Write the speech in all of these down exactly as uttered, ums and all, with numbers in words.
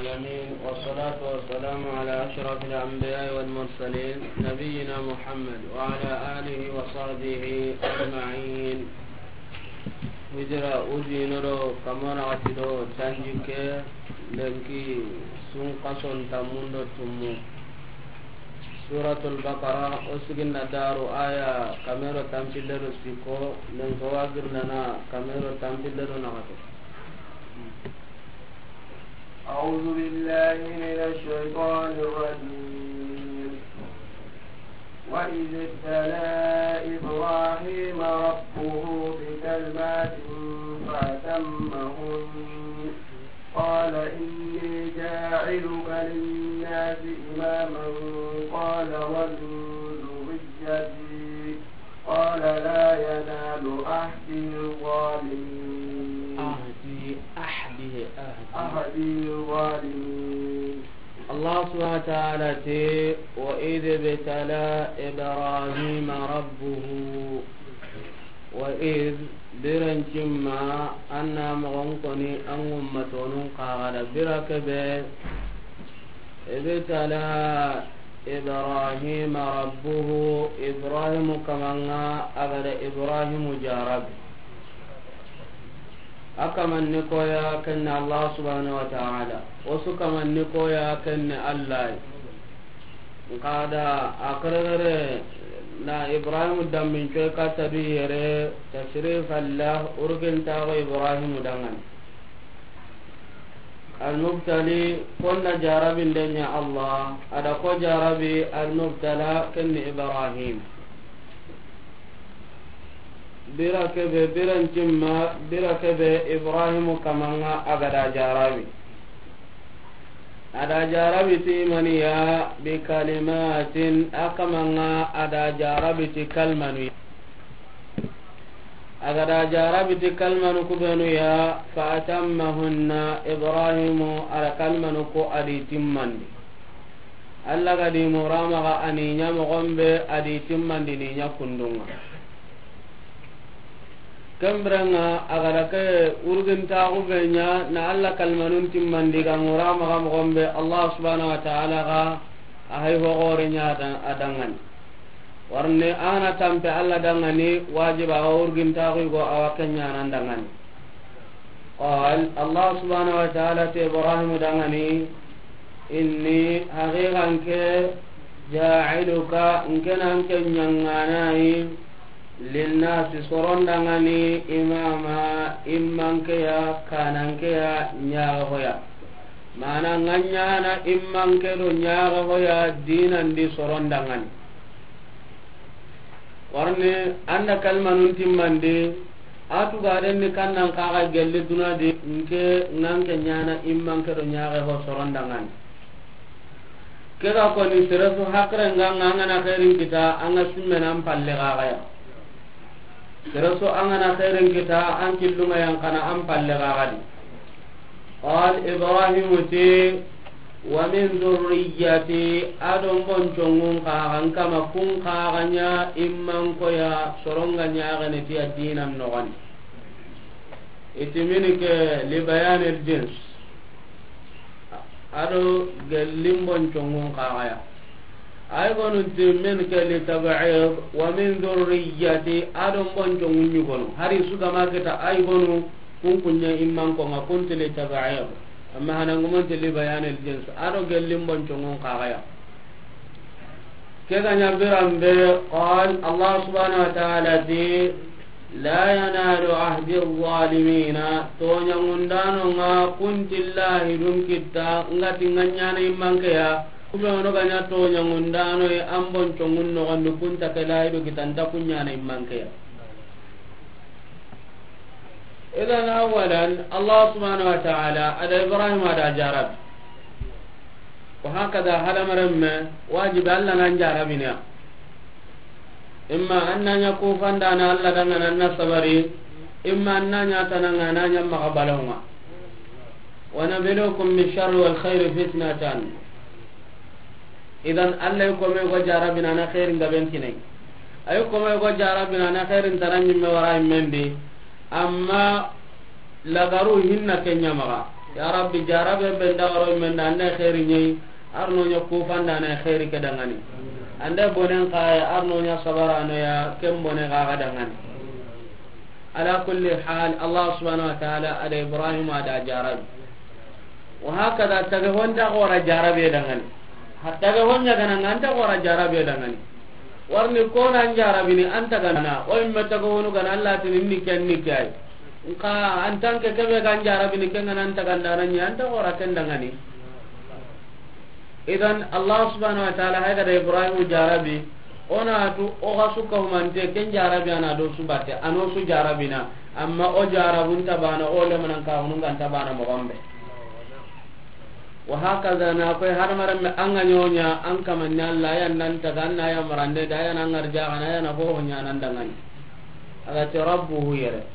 العالمين، والصلاة والسلام على أشرف الأنبياء والمرسلين، نبينا محمد وعلى آله وصحبه أجمعين. Hijira ujinoro kamana atido tanjike lenki sun kason tamundo tumu. Suratul Baqara, o siginna daru aya kamero tampillero siko, lenko wagirnana kamero tampillero nagato. أعوذ بالله من الشيطان الرجيم. وإذ ابتلى إبراهيم ربه بكلمات فأتمهن. قال إني جاعلك للناس إماما. قال ومن ذريتي. قال لا ينال عهدي الظالمين. عهدي، عهدي، عهدي. عهدي الظالمين. الله سبحانه وتعالى تي: وإذ ابتلى إبراهيم ربه. وإذ، birancimma, anna mogon koni an ummatonun kagada bira kebe. ابتلى إبراهيم ربه، Ibrahim kamanga agada Ibrahim jarabi. A kamanni koya kenne Allah subhanahu wa ta'ala. Osu kamanni koya kenne Allah. Nkada a keregere na Ibrahim dambin coy katta du yere, tashrifan lah, urgintaxo Ibrahim dangani. Almubtali, konna jarabinde ɲa Allah, ada ko jarabi almubtala kenni Ibrahim. Bira kebe, birancimma, bira kebe Ibrahimu kamanga agada jarabi. Ada jarabi ti maniya bi kalimatin, a kamanga ada jarabi ti kalmanu. Agada jarabi ti kalmanu kubenu ya, fa atammahunna, Ibrahimu ada kalmanu ko adi timmandi. Allah gadi muramaga ani ɲa mogon be adi timmandi ni ɲa kundunga. Kembirenga agada ke urgintaxu be ɲa na Allah kalmanun timmandi ga muramaga mogon be Allah subhanahu wa ta'ala ga a hay hogore ɲa a dangani. Warni ana tampe Allah dangani wajiba awa urgintaxu go awa kenyanan dangani. Qal, Allah subhanahu wa ta'ala ti Ibrahim dangani, inni, haqiqa nke, ja'iluka, nke na nke ɲanganayi, linnasi, soron dangani, imama, immankeya, kanankeya, ɲaga hoya. Mana nga ɲana immanke do ɲaga hoya dinandi soron dangani. Warni anda kalmanun timmandi, a tugaden ni kannan kaga gelli dunadi, nke nga nke ɲana immanke do ɲaxe ho soron dangani. Ke ga koni seresu hakre nga nga ngana khairin kita, anga simmena an palle gagaya. Seresu angana khairin kita, an killunga yankana an palle gagadi. Qal, Ibrahimu ti, wa min dhurriyyati, adon boncongun kagan kama kun kaganya imman koya soronga ɲagene ti a dinan nogani. Iti min ke li bayanil jins. Ado gellin boncongun kagaya. Ay gonu ti min ke li tab'id, wa min dhurriyyati, adon boncongun ɲugonu. Hari su gama kita ay gonu kun kunya imman ko nga kun ti li tab'id. Amma hanan gumun ti li bayanil jins. Ado gellin boncongun kagaya. Ke ga ɲa biran be, qal, Allah subhanahu wa ta'ala ti, la yanalu ahdi zalimina, toɲangundano nga kuntillahi dun kitta, nga ti nga ɲana immankeya, kube ono ga ɲa toɲangundano ye an boncongun nogondi kunta ke lahidu kitanta kun ɲana immankeya. Idan awalan, Allah subhanahu wa ta'ala, ada Ibrahim ada jarabi. Wa hakada hadamaren me, wajibi Allah nan jarabini ya. Imma an na ɲa kufandana Allah dangana an na sabari, imma an na ɲa tananga na ɲa maxa balonga. Wa nabluukum bi sharri wal khayri fitnatan. Idan Allah yi kome go jarabina na khairin gaben kinai. Ay kome go jarabina na khairin tanan ɲimme wara immendi. Amma lagaru hinna kenya maxa. Ya Rabbi, jarabe be nda waro men da, an da xeeri ɲa yi, arno ɲa kufanda na xeeri ke dangani. An da bonen xa ya, arno ɲa sabarano ya, ken bone xa ga dangani. Ala kulli hal, Allah subhanahu wa ta'ala a da Ibrahim a da jarabi. Wa hakada, tage ho nta xo ra jarabe dangani. Ha tage ho ɲa ga na ŋa, an ta xo ra jarabe dangani. Warni ko na an jarabini, an ta ga na, o yimme tage honu ga na, Allah tini ni ken ni kay. Nka en tant que kebe ga an jarabini, ken ga na an ta ga ndana ɲi, an ta xo ra ken dangani. Idan, Allah subhanahu wa ta'ala, hay ga da Ibrahim jarabi, o na tu, o ga su ka humante, ken jarabi a na do su batte, a no su jarabina, amma o jarabun ta bana, o le manan ka hunun ga nta bana mo gombe. Wa hakaza na koy har maran me an ga ɲoɲa, an kaman ɲa Allah, ya nan ta ga na ya marande, da ya nan ngarja ga na ya na ho ho ɲa nan dangani. A ga ti rabbuhu yere.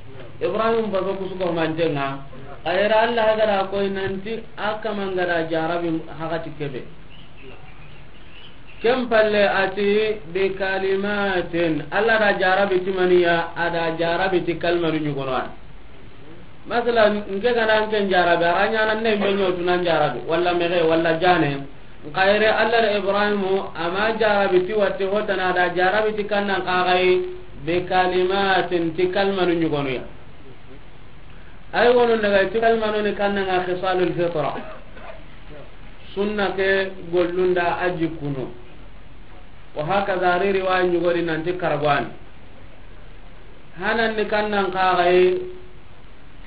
Ibrahim ba ko kusu ko mantenga. A yere Allah ga da koy nanti a kaman ga da jarabi hakati kebe. Ken palle a ti bi kalimatin. Allah da jarabi ti maniya, a da jarabi ti kalmanu ɲugono. Masalan, nke ga na nke jarabi, a ra ɲa na ne me ɲo tu nan jarabi, walla mege, walla jane. Nka yere Allah da Ibrahimu, a ma jarabi ti watti hotana, da jarabi ti kannan xa ga yi, bi kalimatin, ti kalmanu ɲugonu ya. Ay wono daga ti kalmanu ni kannan ŋa khisalul fitra. Sunna ke gollunda a jikkunu. Wa hakaza ri riwaya ɲugori nanti karagwani. Hanan ni kannan xa ga yi,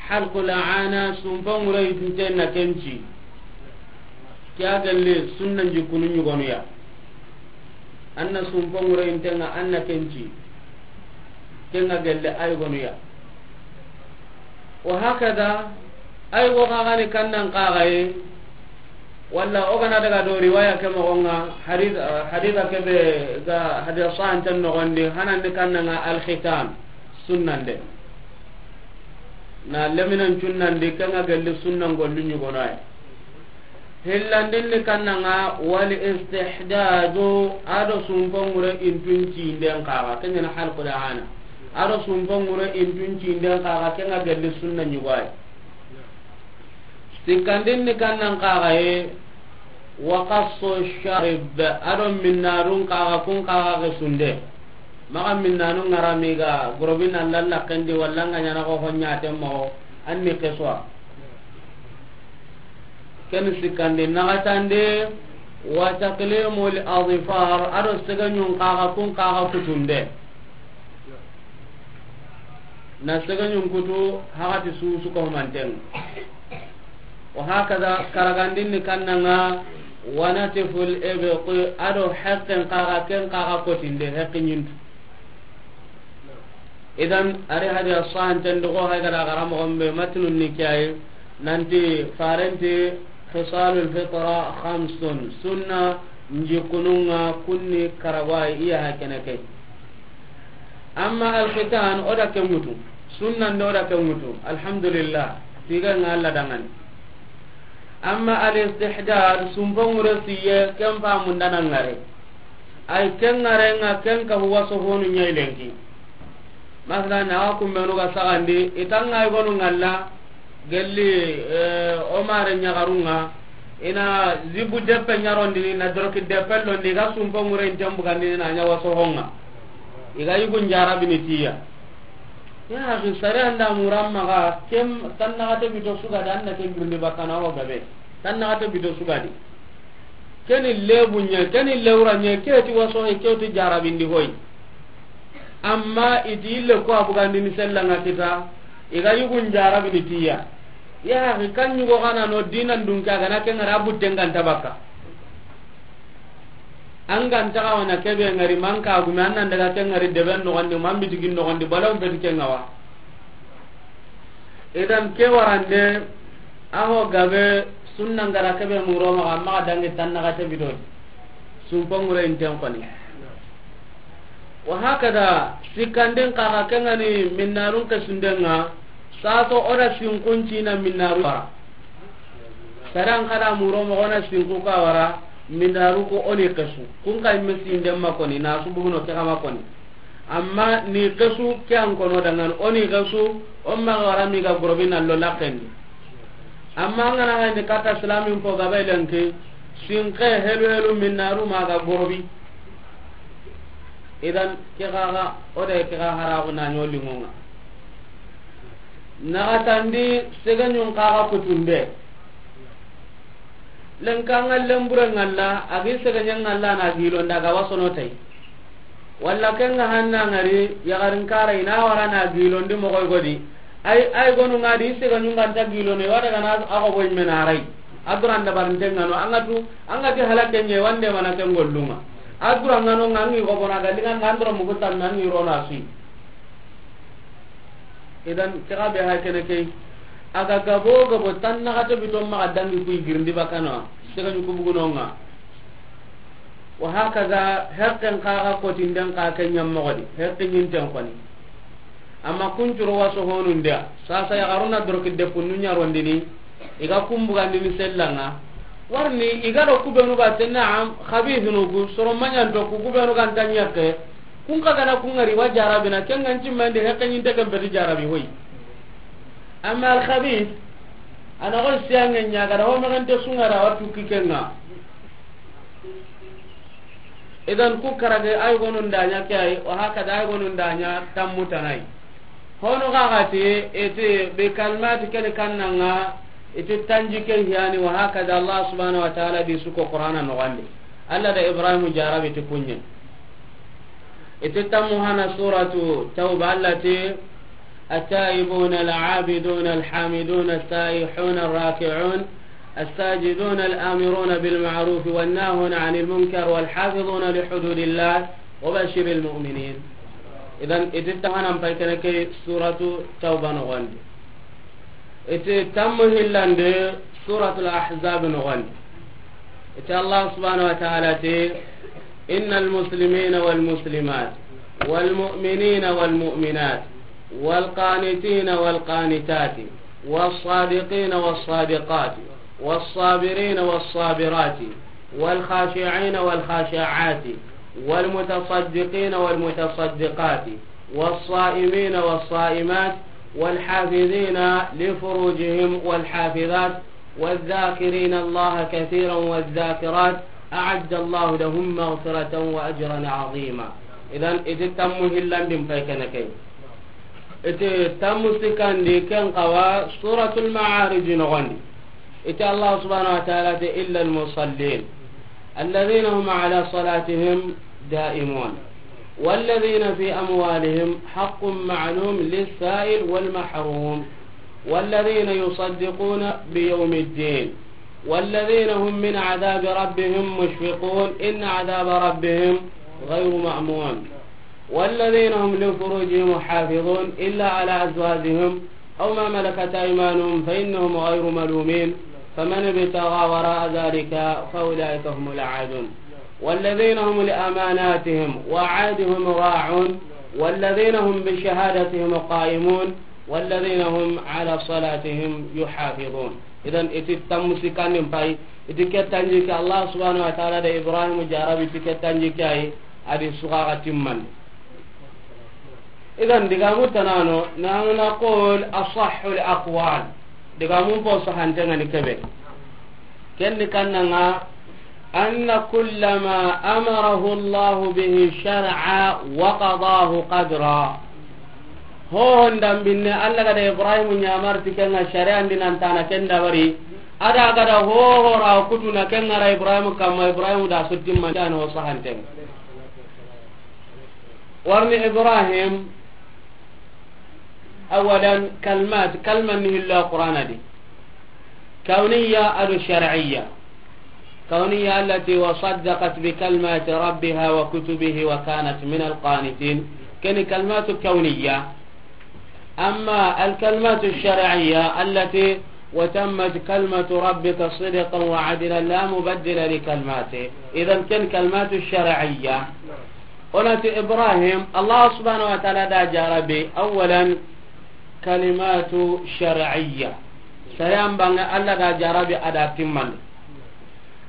halqul aana, sumpa ŋure yitinte na ken ci. Ke a gelle sunna jikkunu ɲugonu ya. An na sumpa ŋure yintenga an na ken ci. Ken ga gelle ay gonu ya. Wa hakaza, ay go xa ga ni kannan xa ga yi, walla o ga na daga do riwaya ke moxo ŋa, hadith, haditha ke be ga haditha sahanten noxondi, hanan ni kannan ŋa alkhitan, sunnande. Na leminan cunnandi, ken ga gelli sunnan gollu ɲugono ay. Hillandin ni kannan ŋa, wal istihdadu, a do sumpa ŋure yintun cinden xa ga, ken ɲa na halqul aana. A do sumpa ŋure yintun cinden xa ga, ken ga gelli sunna ɲugo ay. Sikkandin ni kannan xa ga yi, wa qassu sharib, a do minnanun xa ga, kun xa ga ke sunde. Maxa minnanu ŋara mi ga gorobi na lalla kendi walla nga ɲana ko honya temmo, an ni qassu. Ken sikkandi naxatande, wa taqlimul azfar, a do segeɲun xa ga, kun xa ga kutunde. Na segeɲun kutu, hakati susu ko manten. Wa hakaza, karagandin ni kannan ŋa, wa natful ibti, a do haqqen xa ga, ken xa ga kotinde, haqqi ɲintu. Idan, ari hadiya sahanten do ko hay ga da gara moxo be matnun ni ke yi, nanti farenti khisalul fitra khamsun, sunna jikkunu ŋa kunni karagwa yi, iya hakene ke. Amma alkhitan, o da ke ŋutu. Sunnande o da ke ŋutu. Alhamdulillah. Tiga ŋa Allah dangani. Amma alistihdad, sumpa ŋure siye, ken fa mundana ŋare. Ay ken ŋare ŋa ken ka huwa so honu ɲa yi lenki. Masalan, na wa kumbenu ga sagandi, i ta ŋa yi gonu ŋalla, gelli, eh, o mare ɲagarun ŋa, i na zibu deppe ɲarondini, na doroki deppe londi, i ga sumpa ŋure yinten bugandini na ɲa wa so ho ŋa. I ga yugun jarabini tiya. Ya akhi, sare anda muramma ga, ken tannaxate bito su ga da, an na ken girindi bakkana o gabe. Tannaxate bito su ga di. Keni lebu ɲa, keni lewra ɲa, ke ti wa so he, ke ti jarabindi hoy. Amma i ti ille ko a bugandini sella ŋa kita, i ga yugun jarabini tiya. Ya akhi, kan ɲugo xa na no dinan dun ke, a ga na ken ŋari a butten ga nta bakka. An ga nta xa wa na kebe ŋari, man ka gume, an nan daga ken ŋari deben noxondi, man bitigin noxondi, balaw beti ken ŋa wa. Idan ke warande, a ho gabe sunna ŋa ra kebe muro maxa, maxa dangi tannaxate bito. Sumpa ŋure yinten xoni. Wa hakada, sikkandin xa ga, ken ŋa ni minnanun ke sunden ŋa, saso o da sinkun cina minnaru wara. Saran xa da muro moxo na sinku ka wara, minnaru ko o ni qassu. Kun xa yimme sinden ma koni, na su buguno ke xa ma koni. Amma ni qassu ke an kono dangan, o ni qassu, o maxa wara mi ga gorobi na lo laxendi. Amma an ga na hayni katta silamin fo gabe lenki, sinke helu helu minnaru ma ga gorobi. Idan ke gaga o de ke ga haragu na ɲo linŋo ŋa. Naxatandi segeɲun kaga kutunde. Lenka ŋa lembure ŋalla, a gi segeɲe ŋalla na gilonda ga wasono tay. Walla ken ga hanna ŋari yaxarin kara i na wara na gilondi moxoy godi. Ay, ay gonu ŋa di segeɲun ga nta gilono, i wa daga na a xobo yimme na ray. A duran dabarinten ŋa no, an ga tu, an ga ti halakenɲe wande mana ken gollun ŋa. A duran ŋa no ŋa an ŋi xobona ga linŋa na an dura mugu tanna an ŋi rona sui. Idan ke ga be ha kene ke, a ga gabo gabo tan naxate bito maxa dangi kuy girindi bakana, segeɲu kubuguno ŋa. Wa hakaza, heqqen kaga kotinden ka ke ɲammoxo di, heqqe ɲinten koni. Amma kuncuro waso honun dia, sasa yaxaruna doroki depunnu ɲarondini, i ga kumbugandini sellanga. Warni i ga do kubenu ga te, naam, khabithunu ku, soro maɲanto ku, kubenu ga nta ɲakke. Kun xa gana kun ŋari wa jarabina, ken ŋa nci mande heqqe ɲinte ken beti jarabi hoy. Amma al khabith, a na go siyange ɲa ga da ho mexente sungara wa tukki ken ŋa. Idan ku karage ay gonun da ɲa ke ay, wa hakada ay gonun da ɲa tammu tanay. Hono ga ga ti, ete be kalmati ken kanna ŋa, ete tanji ke hiyani, wa hakada Allah subhanahu wa ta'ala di suko Qur'ana no gande. Allah da Ibrahim jarabi ti kunɲe. Iti tammu hana suratu Tawba, Allah ti, التائبون العابدون الحامدون السائحون الراكعون الساجدون الآمرون بالمعروف والناهون عن المنكر والحافظون لحدود الله وبشر المؤمنين. Idan, iti tahanan pay kene ke suratu Tawba no gondi. Iti tammu hillande suratul Ahzab no gondi. Iti Allah subhanahu wa ta'ala ti, إن المسلمين والمسلمات والمؤمنين والمؤمنات والقانتين والقانتات والصادقين والصادقات والصابرين والصابرات والخاشعين والخاشعات والمتصدقين والمتصدقات والصائمين والصائمات والحافظين لفروجهم والحافظات والذاكرين الله كثيرا والذاكرات أعد الله لهم مغفرة وأجرا عظيما. Idan, iti tammu hillandin pay kene ke. Iti tammu sikandi ken kawa Suratul Ma'arij no gondi. Iti Allah subhanahu wa ta'ala ti, إلا المصلين الذين هم على صلاتهم دائمون والذين في أموالهم حق معلوم للسائل والمحروم والذين يصدقون بيوم الدين والذين هم من عذاب ربهم مشفقون إن عذاب ربهم غير مأمون والذين هم لفروجهم حافظون إلا على أزواجهم أو ما ملكت أيمانهم فإنهم غير ملومين فمن ابتغى وراء ذلك فأولئك هم العادون والذين هم لأماناتهم وعهدهم راعون والذين هم بشهادتهم قائمون والذين هم على صلاتهم يحافظون. Idan, iti tammu sikandin pay, iti ke tanji ke Allah subhanahu wa ta'ala da Ibrahim jarabi, iti ke tanji ke ay, adi suka ga timman. Idan, digamu tanano, nanu naqul asahhul aqwal. Digamun po sahantengani kebe. Ken ni kannanga, أن كل ما أمره الله به شرعا وقضاه قدرا. Ho honda binne Allah ga da Ibrahim ɲamari ti kenga shari'an di nan tana ken dabari. Ada ga da ho ho ra kutuna kenga ra Ibrahim kamma Ibrahim da suttin man tana ho sahanten. Warni Ibrahim أولا كلمات، كلمة نهلا قرآن دي. كونية أو شرعية. كونية التي وصدقت بكلمات ربها وكتبه وكانت من القانتين. كان كلمات كونية. أما الكلمات الشرعية التي وتمت كلمة ربك صدقا وعدلا لا مبدل لكلماته. إذن كان كلمات شرعية. Onati Ibrahim, Allah subhanahu wa ta'ala da jarabi, awalan, kalimatu shar'iyya. Sayan banga Allah da jarabi ada timman.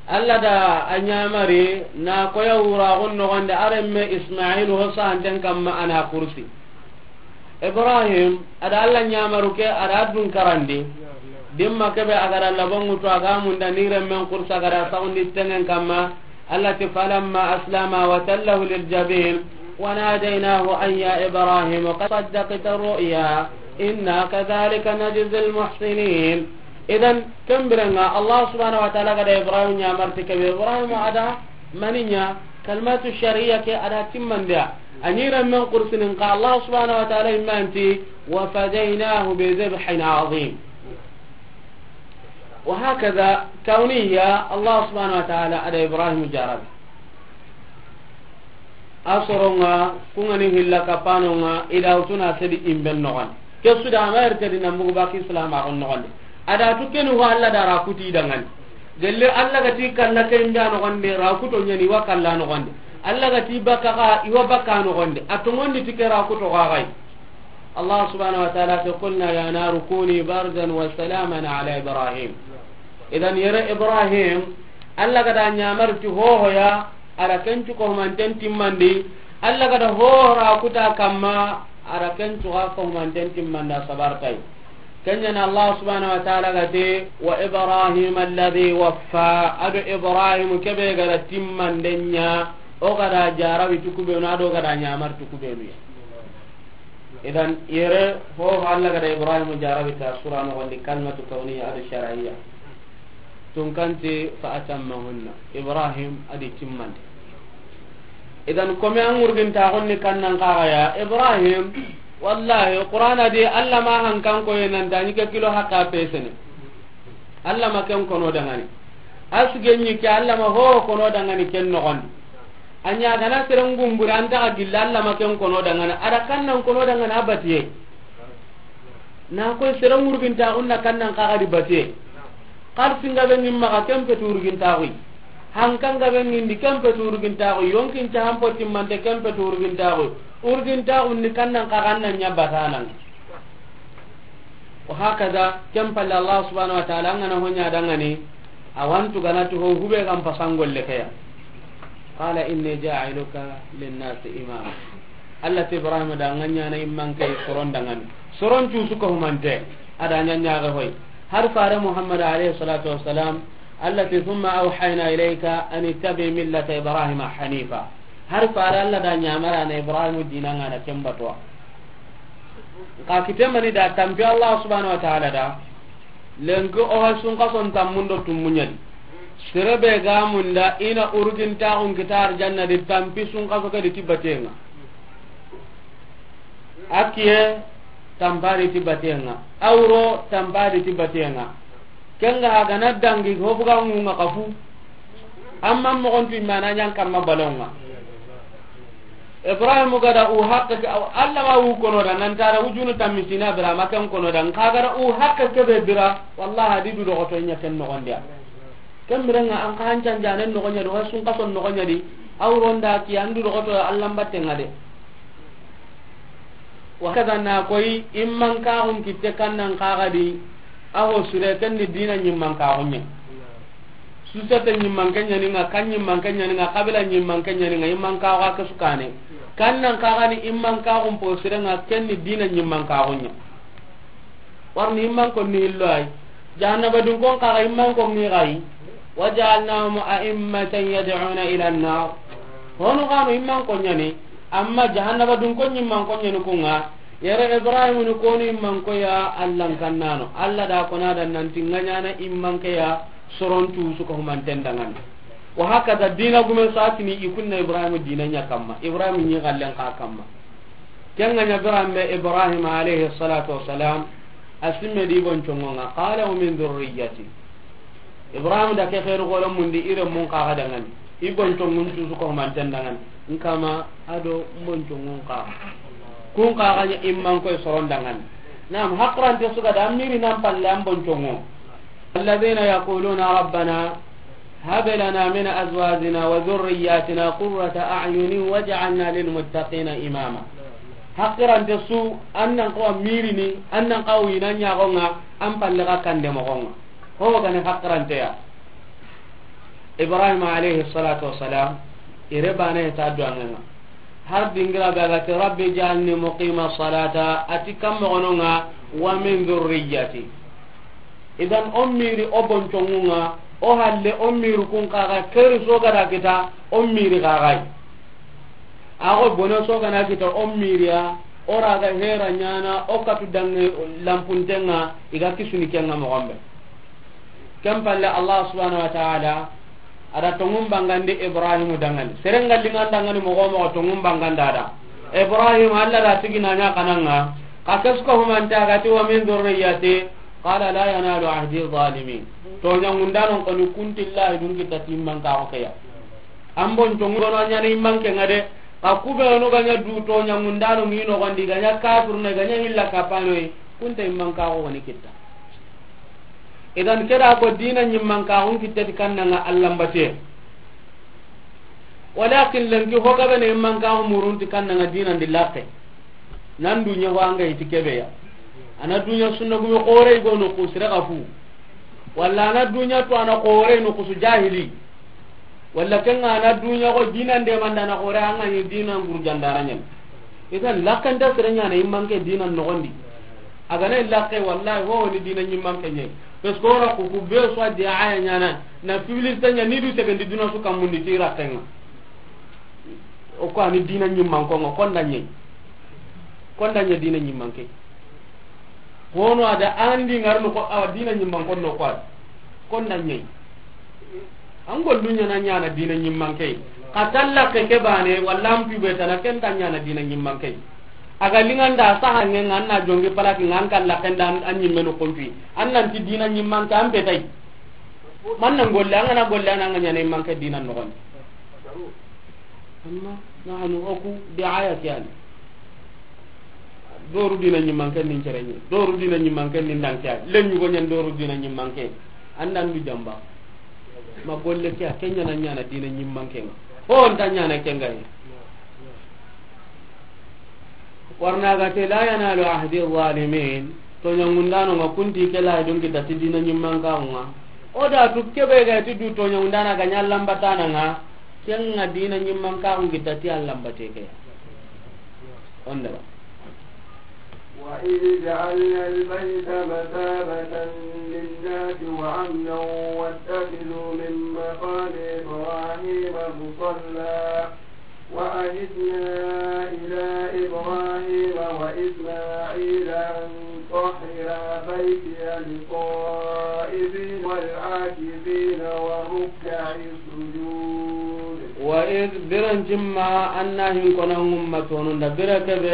Allah da a ɲamari na koya wura gon no gonde aremme Ismail ho santen kamma ana kursi. Ibrahim, ada Allah ɲamaru ke, ada dun karandi. Yimma kebe a ga da labonŋu tu, a ga munda ni remmen kursa ga da saxundi tengen kamma. Allah ti, "Falamma aslama wa tallahu lil jabin, wa nadaynahu an ya Ibrahim qad saddaqta ru'ya, inna kadhalika najzil muhsinin." Idan, ken birenŋa, Allah subhanahu wa ta'ala ga da Ibrahim ɲamarti kebe, Ibrahim a da maniya, kalimatu shar'iyya ke a da timmandiya. A ni remmen kursinin ka Allah subhanahu wa ta'ala imma nti, "Wa fadaynahu bi dhibhin azim." Wa hakaza, kawniya, Allah subhanahu wa ta'ala a da Ibrahim jarabi. A soronŋa, ku ŋa ni hilla kapanonŋa, i da wutuna sedi imben noxondi. Ke su da a ma yerte di nan bugu baki Islam a xon noxondi. A da tu keni ho Allah da ra kuti dangani. Gelle Allah ga ti kalla ke imbe a noxondi, ra kuto ɲani wa kalla noxondi. Allah ga ti bakka xa, i wa bakka noxondi. A tonŋondi ti ke ra kuto xa xay. Allah subhanahu wa ta'ala ti, "Qulna ya naru kuni bardan wa salaman ala Ibrahim." Idan yere Ibrahim, Allah ga da ɲamari ti hohoya, a da ken cu ko manten timmandi. Allah ga da hoho ra kuta kamma, a da ken cu ga ko manten timmanda sabartai. Ken ɲa na Allah subhanahu wa ta'ala ga ti, "Wa Ibrahim alladhi waffa." A do Ibrahim kebe ga da timmanden ɲa, o ga da jarabi tu kubenu, a do ga da ɲamari tu kubenu ya. Idan, yere, ho, ho Allah ga da Ibrahim jarabi ta sura noxondi, kalimatu kawniya a do shar'iyya. Tunkanti fa atammahunna. Ibrahim a di timmandi. Idan, kome an ŋurginta xonni kannan kaga ya, Ibrahim, wallahi, Qur'ana di Allah ma hankan koye nan ta ni ke kilo haqqa pesene. Allah ma ken kono dangani. Asgenyi ke Allah ma ho kono dangani ken noxondi. A ɲa gana seren gumburi an ta ga gilla Allah ma ken kono dangana. A da kannan kono dangana a batiye. Na koy seren wurginta xunna kannan kaga di batiye. Xar singa be ngin maxa ken peti wurginta xuy. Hankan ga be ngin di ken peti wurginta xuy. Yonkin ca han poti mante ken peti wurginta xuy. Wurginta xunni kannan kaga nan ɲa batanan. Wa hakaza, ken palle Allah subhanahu wa ta'ala, an ga na ho ɲa dangani, a wa an tu gana ti ho hube ga n pasangolle ke ya. Qala inni ja'iluka linnasi imama. Allah ti Ibrahim da an ga ɲa na imman ke soron dangani. Soron cu su ko humante, a da ɲa ɲa ga hoy. Har fare Muhammad alayhi salatu wassalam, Allah ti, "Thumma awhayna ilayka an ittabi millata Ibrahima hanifa." Har fare Allah da ɲamara na Ibrahim dinan ŋa na ken batuwa. Nka kite mani da tampi Allah subhanahu wa ta'ala da. Lenki o ha sunkason tammun do tummuɲadi. Sere be ga munda i na urgintaxun kita arjanna di tampi sunkaso ke di ti batenŋa. A kiye tampa di ti batenŋa. A wuro tampa di ti batenŋa. Ken ga ga na dangi ho buga ŋunŋa kafu. Amma moxon tu imana ɲan kamma balonŋa. Ibrahim ga da u haqqe ke, Allah ma u kono da, nan tara wujunu tammisina bira, ma ken kono da, nka ga da u haqqe ke be bira, wallahi a di du doxoto ɲa ken noxon di ya. Ken birenŋa an xa hancan janen noxon ɲa di, wa sunkason noxon ɲa di, a wuron da ki an du doxoto Allah mbattenŋa de. Wa kaza na koy imman kaxun kitte kannan kaga di, a ho sure ken ni dina ɲimman kaxun ɲa. Susete ɲimman ke ɲaninŋa, kan ɲimman ke ɲaninŋa, kabila ɲimman ke ɲaninŋa, imman kaxu a ke su kane. Kannan kaga ni imman kaxun po sirenŋa, ken ni dina ɲimman kaxun ɲa. Warni imman ko ni hillo ay. Jahannaba dun kon kaga imman ko ni gayi. Wa ja'alnahum a'immatan yad'una ila an-nar. Hono gano imman ko ɲani. Amma jahannaba dun kon ɲimman ko ɲani kunŋa. Yere Ibrahim ni konu imman ko ya Allah kannano. Allah da kona da nan ti ŋa ɲa na imman ke ya soron tu su ko humanten dangani. Wa hakaza dina gume satini i kunna Ibrahim dina ɲa kamma. Ibrahim ni gallen ka kamma. Ken ga ɲa biranbe Ibrahim alayhi salatu wassalam, a simme di bonconŋo ŋa, qala wa min dhurriyyati. Ibrahim da ke xeeru golo mundi i remmun kaga dangani. I bonconŋun cu su ko manten dangani. Nkama a do n bonconŋun kaga. Kun kaga ɲa imman koy soron dangani. Nam, haqirante su ga da an miri nan palle an bonconŋo. Alladhina yaquluna rabbana hab lana min azwajina wa dhurriyyatina qurrata a'yunin waj'alna lil muttaqina imama. Haqirante su, an nan ko mirini, an nan ko ina ɲagonŋa, an palle ga kande mogonŋa. Ho gani haqirante ya. Ibrahim alayhi salatu wassalam, ire bane ta duwanŋa. Har dingira be ga ti, "Rabbi ij'alni muqima salata," a ti kam mogononŋa, "wa min dhurriyyati." Idan o miri o bonconŋun ŋa, o halle o miri kun kaga keri so gada kita o miri kagai. Ago bone so gana kita o miriya, o raga hera ɲana o katu dange lampuntenga iga kisuni kenga mogonbe. Ken palle Allah subhanahu wa ta'ala ada tongun bangandi Ibrahim dangani. Serenga lingan dangani mogo mogo tongun banganda da. Ibrahim Allah da tigina nya kananga. Ka kesuka humanta gati wa min dhurriyyati. Qala la yanalu ahdi zalimin. To ɲangundanon koni kuntillahi dun kita timman ka o keya. Ambon to ngono ɲani imman ke ngade. Ka kube no ganya du to ɲangundano ngino gondi ganya kafir ne ganya illa kapano. Kunta imman ka o woni kita. Idan keda ko dina ɲimman ka on kittati kannanga Allah mbate. Walakin lenki hogabene imman ka o murunti kannanga dina ndi lakke. Nan dunya ho anga iti kebeya. Ana dunya sunna gumi xore go no kusira gafu. Walla ana dunya to ana xore no kusu jahili. Walla kenga ana dunya ko dina nde mandana xore anga ni dina ngurjandana nyen. Idan lakkanta sere ɲana imman ke dina nogondi. Agana lakke wallahi ho ni dina ɲimman ke ɲe. Parce que ora ku ku be so di aya ɲana na publicité ɲa ni du te gandi duna su kamundi tira kenga. O ko ani dina ɲimman ko ngo konda ɲe. Konda ɲe dina ɲimman ke. Hono ada andi ngarno ko awa dina ɲimman ko no ko ad. Konda ɲe. An gollu ɲana ɲana dina ɲimman ke. Ka talla ke ke bane walla an pibe tana ken ta ɲana dina ɲimman ke. Aga linganda saha ngen anna jongi palaki ngan kalla kenda an ɲimmenu kumpi. Annan ti dina ɲimman ke an petai. Man nan golle an gana golle an anga ɲana imman ke dina nogon. Amma nahnu oku diaya kiyani. Doru dina ɲimman ke nin cerenye. Doru dina ɲimman ke nin dankiya. Len yugo ɲan doru dina ɲimman ke. Andan du jamba. Ma golle kiya kenya na ɲana dina ɲimman ke. Ho on ta ɲana kenga. Warna ga te la yanalu ahdi zalimin. To ɲangundano nga kunti ke la don kita ti dina ɲimman ka nga. O da tu kebe ga ti du to ɲangundana ga ɲallan batana nga. Kenga dina ɲimman ka nga kita ti Allah mbate ke. Onda. وإذ جعلنا البيت مثابة للناس وأمنا واتخذوا من مقام إبراهيم مصلى وعهدنا إلى إبراهيم وإسماعيل أن طهرا بيتي للطائفين والعاكفين والركع السجود. وإذ برنجما أنهم كنا أمة وندا بركب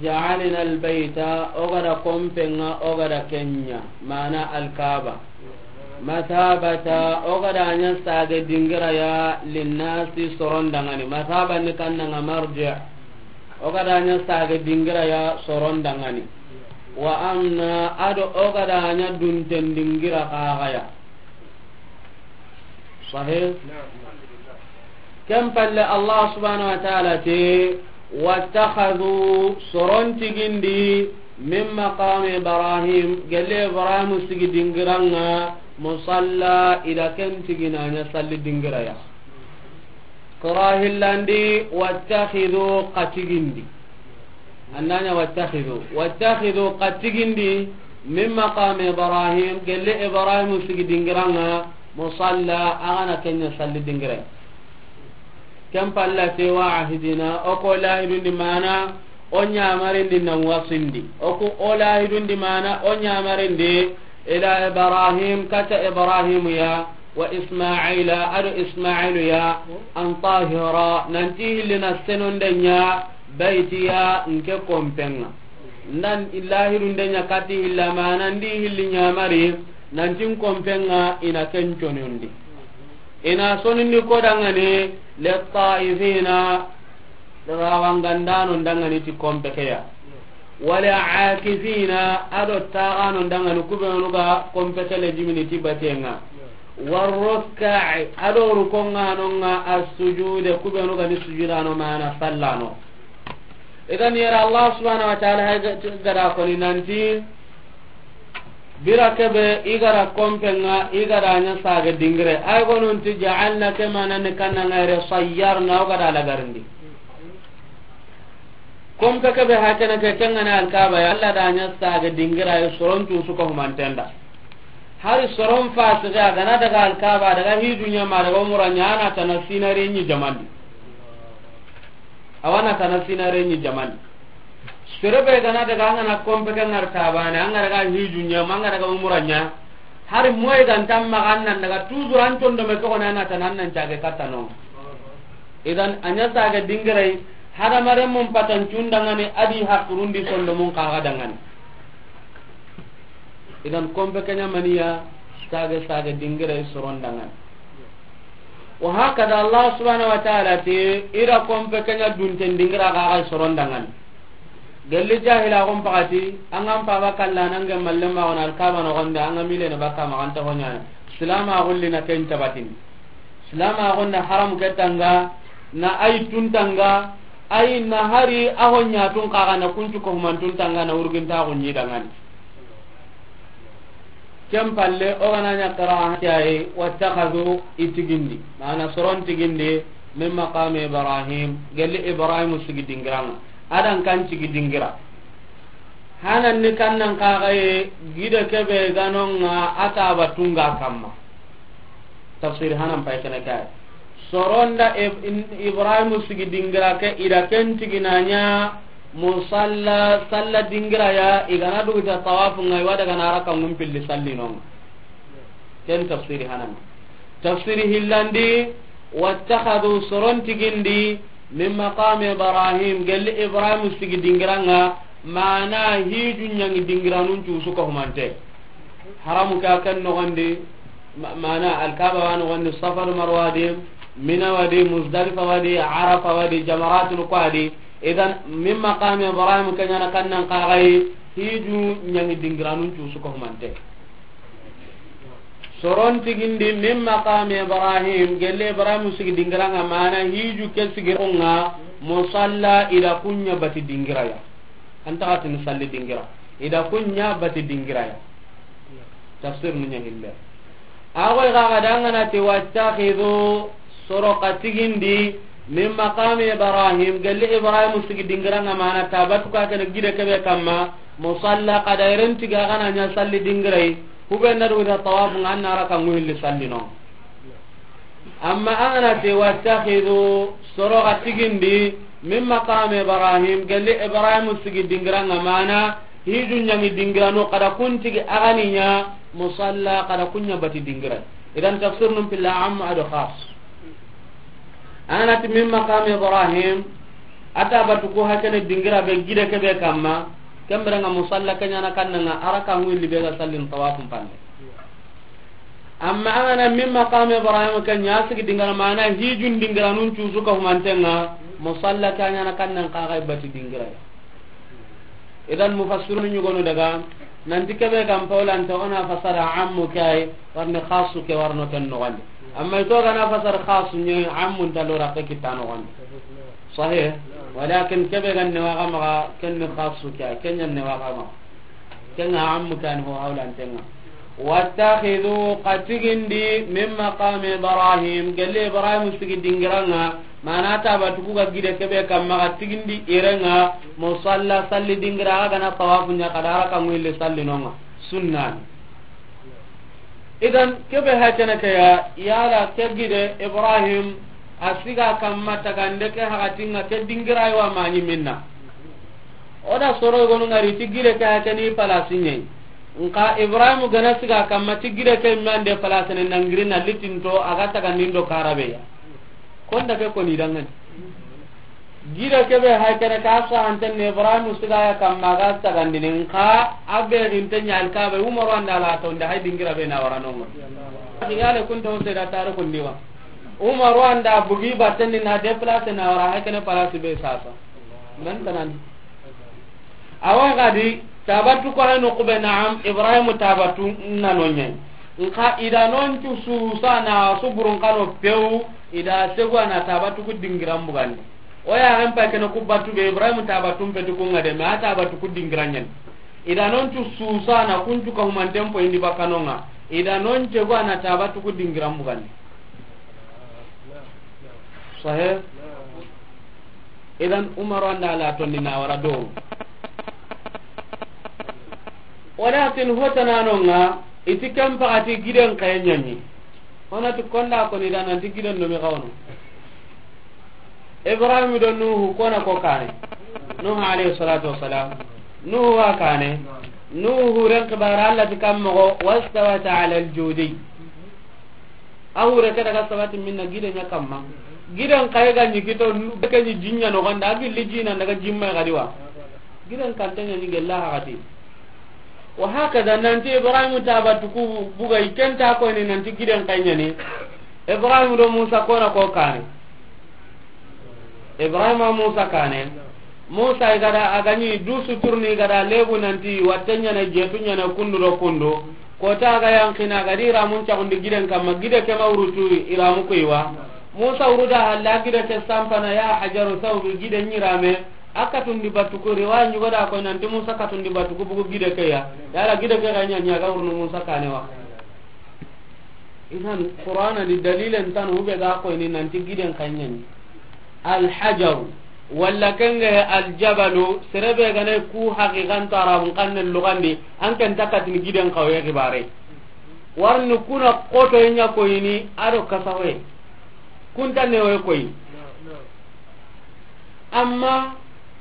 جعلنا البيت أغدا كومبنا أغدا كنيا معنى الكعبة. Masabata, o ga da ɲa sage dingira ya linnasi soron dangani. Masaba ni kannanga marji. O ga da ɲa sage dingira ya soron dangani. Wa amna, ado o ga da ɲa dunten dingira kaga ya. Sahih? Ken palle Allah subhanahu wa ta'ala te, wattakhadhu, soron tigindi, min maqami Ibrahim, gelle Ibrahim sigi dingiranga, musalla, ida ken tigina ɲa salli dingira ya. Qira hillandi, wattakhidhu, ka tigindi. Annanya wattakhidhu. Wattakhidhu, ka tigindi, min maqami Ibrahim, gelle Ibrahim sigi dingiranga, musalla, agana kenya salli dingira. Ken palla te wa ahidina, o ko lahidundi mana, o ɲamarindi nan wasindi. O ko o lahidundi mana, o ɲamarindi, ila Ibrahim, kata Ibrahim ya, wa Ismaila, ado Ismailu ya, an tahira, nanti hillina senonde ɲa, baitiya, nke kompenga. Ndan lahidunde ɲa kati hilla mana, ndi hilli ɲamari, nanti n kompenga ina ken conondi. Ina sonindi ko dangani, littaifina, rawangandano dangani ti kompekeya. Wala akifina, ado tagano dangani kubenu ga kompekele jimini ti batenga. Warrukka'i, ado rukonganonga assujude kubenu ga ni sujudano mana sallano. Idan yara Allah subhanahu wa ta'ala hay ga-, gada koni nanti, bira kebe igara kompenga, igara ɲa sage dingire. Ay gonunti ja'alna ke manani kanna ngayre sayyarna o gada lagarindi. Kompe kebe hakene ke kengana alkaba ya Allah da ɲa sage dingira ya sorontu suko humantenda. Hari soron fasiki a ga na daga Alkaaba, a daga hiju ɲa ma, a daga umura ɲa, a na tana sinare ɲi jamandi. A wa na tana sinare ɲi jamandi. Sere be ga na daga, an ga na konpe ke ŋari ta baane, an ga daga hiju ɲa ma, an ga daga umura ɲa. Hari moyi ga nta maxa, an nan daga toujours an tondo me toxo na, a na tana, an nan cage katta no. Idan a ɲa sage dingiray, hadamarenmun patancun dangani, a di hakurundi sondomun kaxa dangani. Idan konpe ke ɲa maniya, sage sage dingiray soron dangani. Wa hakada Allah subhanahu wa ta'ala ti, i da konpe ke ɲa dunten dingira kaxa soron dangani. Gelli jahila gon pakati, an ga n paba kalla, an ga malle ma wona Alkaaba noxon di, an ga mile na baka ma an ta hoɲa. Silama gulli na ken tabatini. Silama gonda haram ke tanga, na ay tun tanga, ay na hari a hoɲa tun kaxa na kuncu ko human tun tanga na urginta gunyi dangani. Ken palle, o ga na ɲa kara kiyaye, wattakhadhu, i tigindi, mana soron tigindi, min maqami Ibrahim, gelli Ibrahim sigi dingiranga, a dan kan sigi dingira. Hanan ni kannan kaxaye, gide kebe ganonga a taba tunga kamma. Tafsir hanan pay kene kay. Soronda Ib-, in-, Ibrahim sigi dingira ke, i da ken tiginanya musalla, salla dingira ya, i ga na dugu ta tawafu ngai, wa daga na raka ngum pilli sallinonga. Ken tafsiri hanan. Tafsiri hillandi, wattakhadhu, soron tigindi, min maqami Ibrahim, gelli Ibrahim sigi dingiranga, mana hiju ɲangi dingiranun cusu ko humante. Haramu ka ken noxondi, ma-, mana Alkaaba wa noxondi, Safa do Marwa di, Mina wa di, Muzdalifa wa di, Arafa wa di, jamaratul ko a di. Idan, min maqami Ibrahim ke ɲa na kannan kaxaye, hiju ɲangi dingiranun cusu ko humante. Soron tigindi, min maqami Ibrahim, gelli Ibrahim sigi dingiranga, mana hiju ke sigironga, musalla, i da kunya bati dingiraya. An taxatini salli dingira. I da kunya bati dingiraya. Tafsir nu ɲa hille. Agoy ga ga dangana ti wattakhidhu, soro ka tigindi, min maqami Ibrahim, gelli Ibrahim sigi dingiranga, mana tabatu ka kene gide kebe kamma, musalla, kada iren tiga gana ɲa salli dingirai, kube na dugu da tawafu nga an na raka nguhilli salli no. Amma an ga na ti wattakhidhu, soro ga tigindi, min maqami Ibrahim, gelli Ibrahim sigi dingiranga, mana hiju ɲangi dingirano, kada kun tigi a ga ni ɲa musalla, kada kunya bati dingira. Idan tafsir num pilla am ado khas. An ga na ti min maqami Ibrahim, a tabatu ko hakene dingira be gide kebe kamma, kembere nga musalla ke ɲa na kannanga, a raka nguhilli be ga sallin tawafun pande. Amma an ga na min maqami Ibrahim ke ɲa sigi dingira, mana hijun dingiranun cusu ka humantenga, musalla ke ɲa na kannan kaxay bati dingira. Idan mufassirun ɲugonu daga, nanti kebe kan pawlanta o na fasara ammu ke ay, warni khasu ke warno ken noxondi. Amma i to ga na fasara khasu ɲe, ammun ta lora ke kitta noxondi. Sahih? Walakin kebe gan ne waga maga, ken ni khasu ke ay, ken ɲan ne waga maga. Kenga ammu kan ho hawlantenga. Wattakhidhu, ka tigindi, min maqami Ibrahim, gelli Ibrahim sigi dingiranga, mana tabatu ku ga gide kebe kamma, ka tigindi irenga musalla, salli dingira, a ga na tawafu ɲa, kada raka nguhilli sallinonga. Sunnan. Idan kebe hakene ke ya, yala ke gide Ibrahim a siga kamma tagande ke hakatinga ke dingira yo a mani minna. O da soro gonu ngari ti gide ke hakeni palasi ɲe. Nka Ibrahim ga na siga kamma ti gide ke mande palasi ne nangiri na litinto a ga tagandindo karabe ya. Konda ke koni dangani. Gide kebe hakene ka sahanten ne Ibrahim siga ya kamma ga tagandini nka a be ginte ɲa Alkaaba Umaru anda la to nda hay dingira be na waranongo. Yale kun to se da tare kun diwa. Umaru anda bugi batten ni na déplacer na wara hakene palasi be sasa. Men tanan. Awa gadi tabatu ko hano kube, naam, Ibrahim tabatu nano ɲe. Nka i da non cu susa na suburun kano pew, i da segu a na tabatu ku dingiran bugandi. O ya hen pa kene ku batu be Ibrahim tabatu mpetu ku ngade, ma tabatu ku dingiran ɲen. I da non cu susa na kuncu ka humanten po indi bakanonga. I da non cegu a na tabatu ku dingiran bugandi. Sahih? Idan Umaru anda la tonni na wara do. Walakin hotananonga, I ti ken paxati giden xaye ɲaɲi. O na ti konda koni da nanti giden nomi xawono. Ibrahim do Nuhu kona ko kane. Nuhu alayhi salatu wassalam. Nuhu wa kane. Nuhu ren xibara Allah ti kam moxo, wastawat ala al-judi. A hure ke daga sabati minna gide ɲa kamma. Giden xaye ga ɲi kito, be ke ɲi jinya no ganda, a gilli jina daga jimma ga diwa. Giden kante ɲa ɲi gella haxati. Wa hakada nanti Ibrahim ta batu ku buga i ken ta ko ni nanti giden xaye ɲani. Ibrahim do Musa kona ko kane. Ibrahima Musa kane. Musa i gada a ga ɲi du suturni i gada lebu nanti watte ɲana jetu ɲana kundu do kundu. Kota a ga yankina a ga di iramun caxundi giden kamma gide ke ma wurutu iramu kuiwa. Musa wuruda halla gide ke sampana ya hajaru saubi gide ɲirame. A katundi batuku riwaya ɲugoda ko nanti Musa katundi batuku bugu gide ke ya. Yala gide ke ga ɲa ɲa ga wurnu Musa kane wa. Idan Qur'ana di dalilen tan hube ga koyni nanti giden xaye ɲani. Alhajaru, walla kenge aljabalu, serebe gane ku haqiqan to arabun xanne lugandi, an ken takatini giden xawe xibare. Warni kuna koto ɲa koyni ado kasawe. Kunta newe koyi. Amma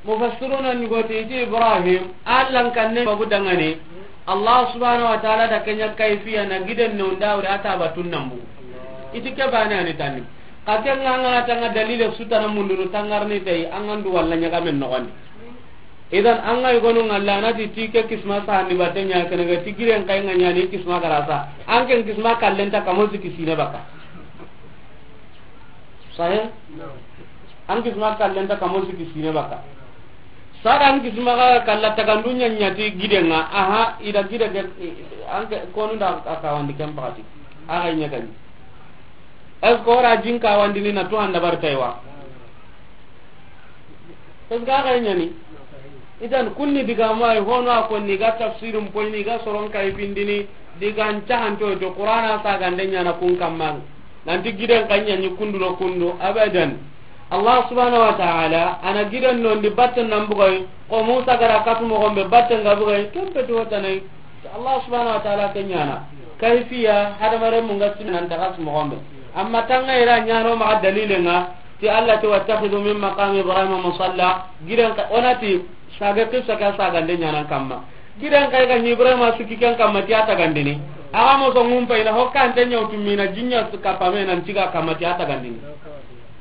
mufassiruna ni goti iti Ibrahim, Allah kanne magu dangane. Allah subhanahu wa ta'ala da kenya kayfiya na giden no ndawre ata batun nambu. Iti ke bane ani tani. Ka ken ngana tanga dalile sutana mundunu tangarni tay angandu walla ɲaga men no gandi. Idan an ga yogonu ngalla na ti ti ke kisma sa ni batte ɲa kene ga ti giren xaye nga ɲani kisma garasa. An ken kisma kallen ta kamo siki sine baka. Sahe? An kisma kallen ta kamo siki sine baka. Sada an kisma ga kalla tagandu ɲa ɲa ti giden nga. Aha, ida gide ke, an ke konu da a kawandi ken paxati. A ga ɲa gani. Est-ce que ora jin kawandini na tu handa bar taywa? Parce que a ga ɲani. Idan kunni diga mai hono a konni ga tafsirin poini ga soron kay bindini digan cahanto to Qur'ana sa gande ɲana kun kamman. Nanti giden xaye ɲani kundu do kundu abadan. Allah subhanahu wa ta'ala ana giden nondi batten nan bugay ko Musa gara katu mo gombe batten ga bugay kempe do tanay. Allah subhanahu wa ta'ala ke ɲana. Kayfiya hadamare mun ga sinan daga su mo gombe. Amma tanga ira ɲano ma dalile nga. Ti Allah ti wattakhidhu min maqami Ibrahima musalla. Gidan ka onati sage kissa ka sagande ɲanan kamma. Gidan kay ga Ibrahima suki kan kamma ti ata gandini. Aga mo so ngum payna hokka ante nyawtu mina jinya su kapame nan tiga kamma ti ata gandini.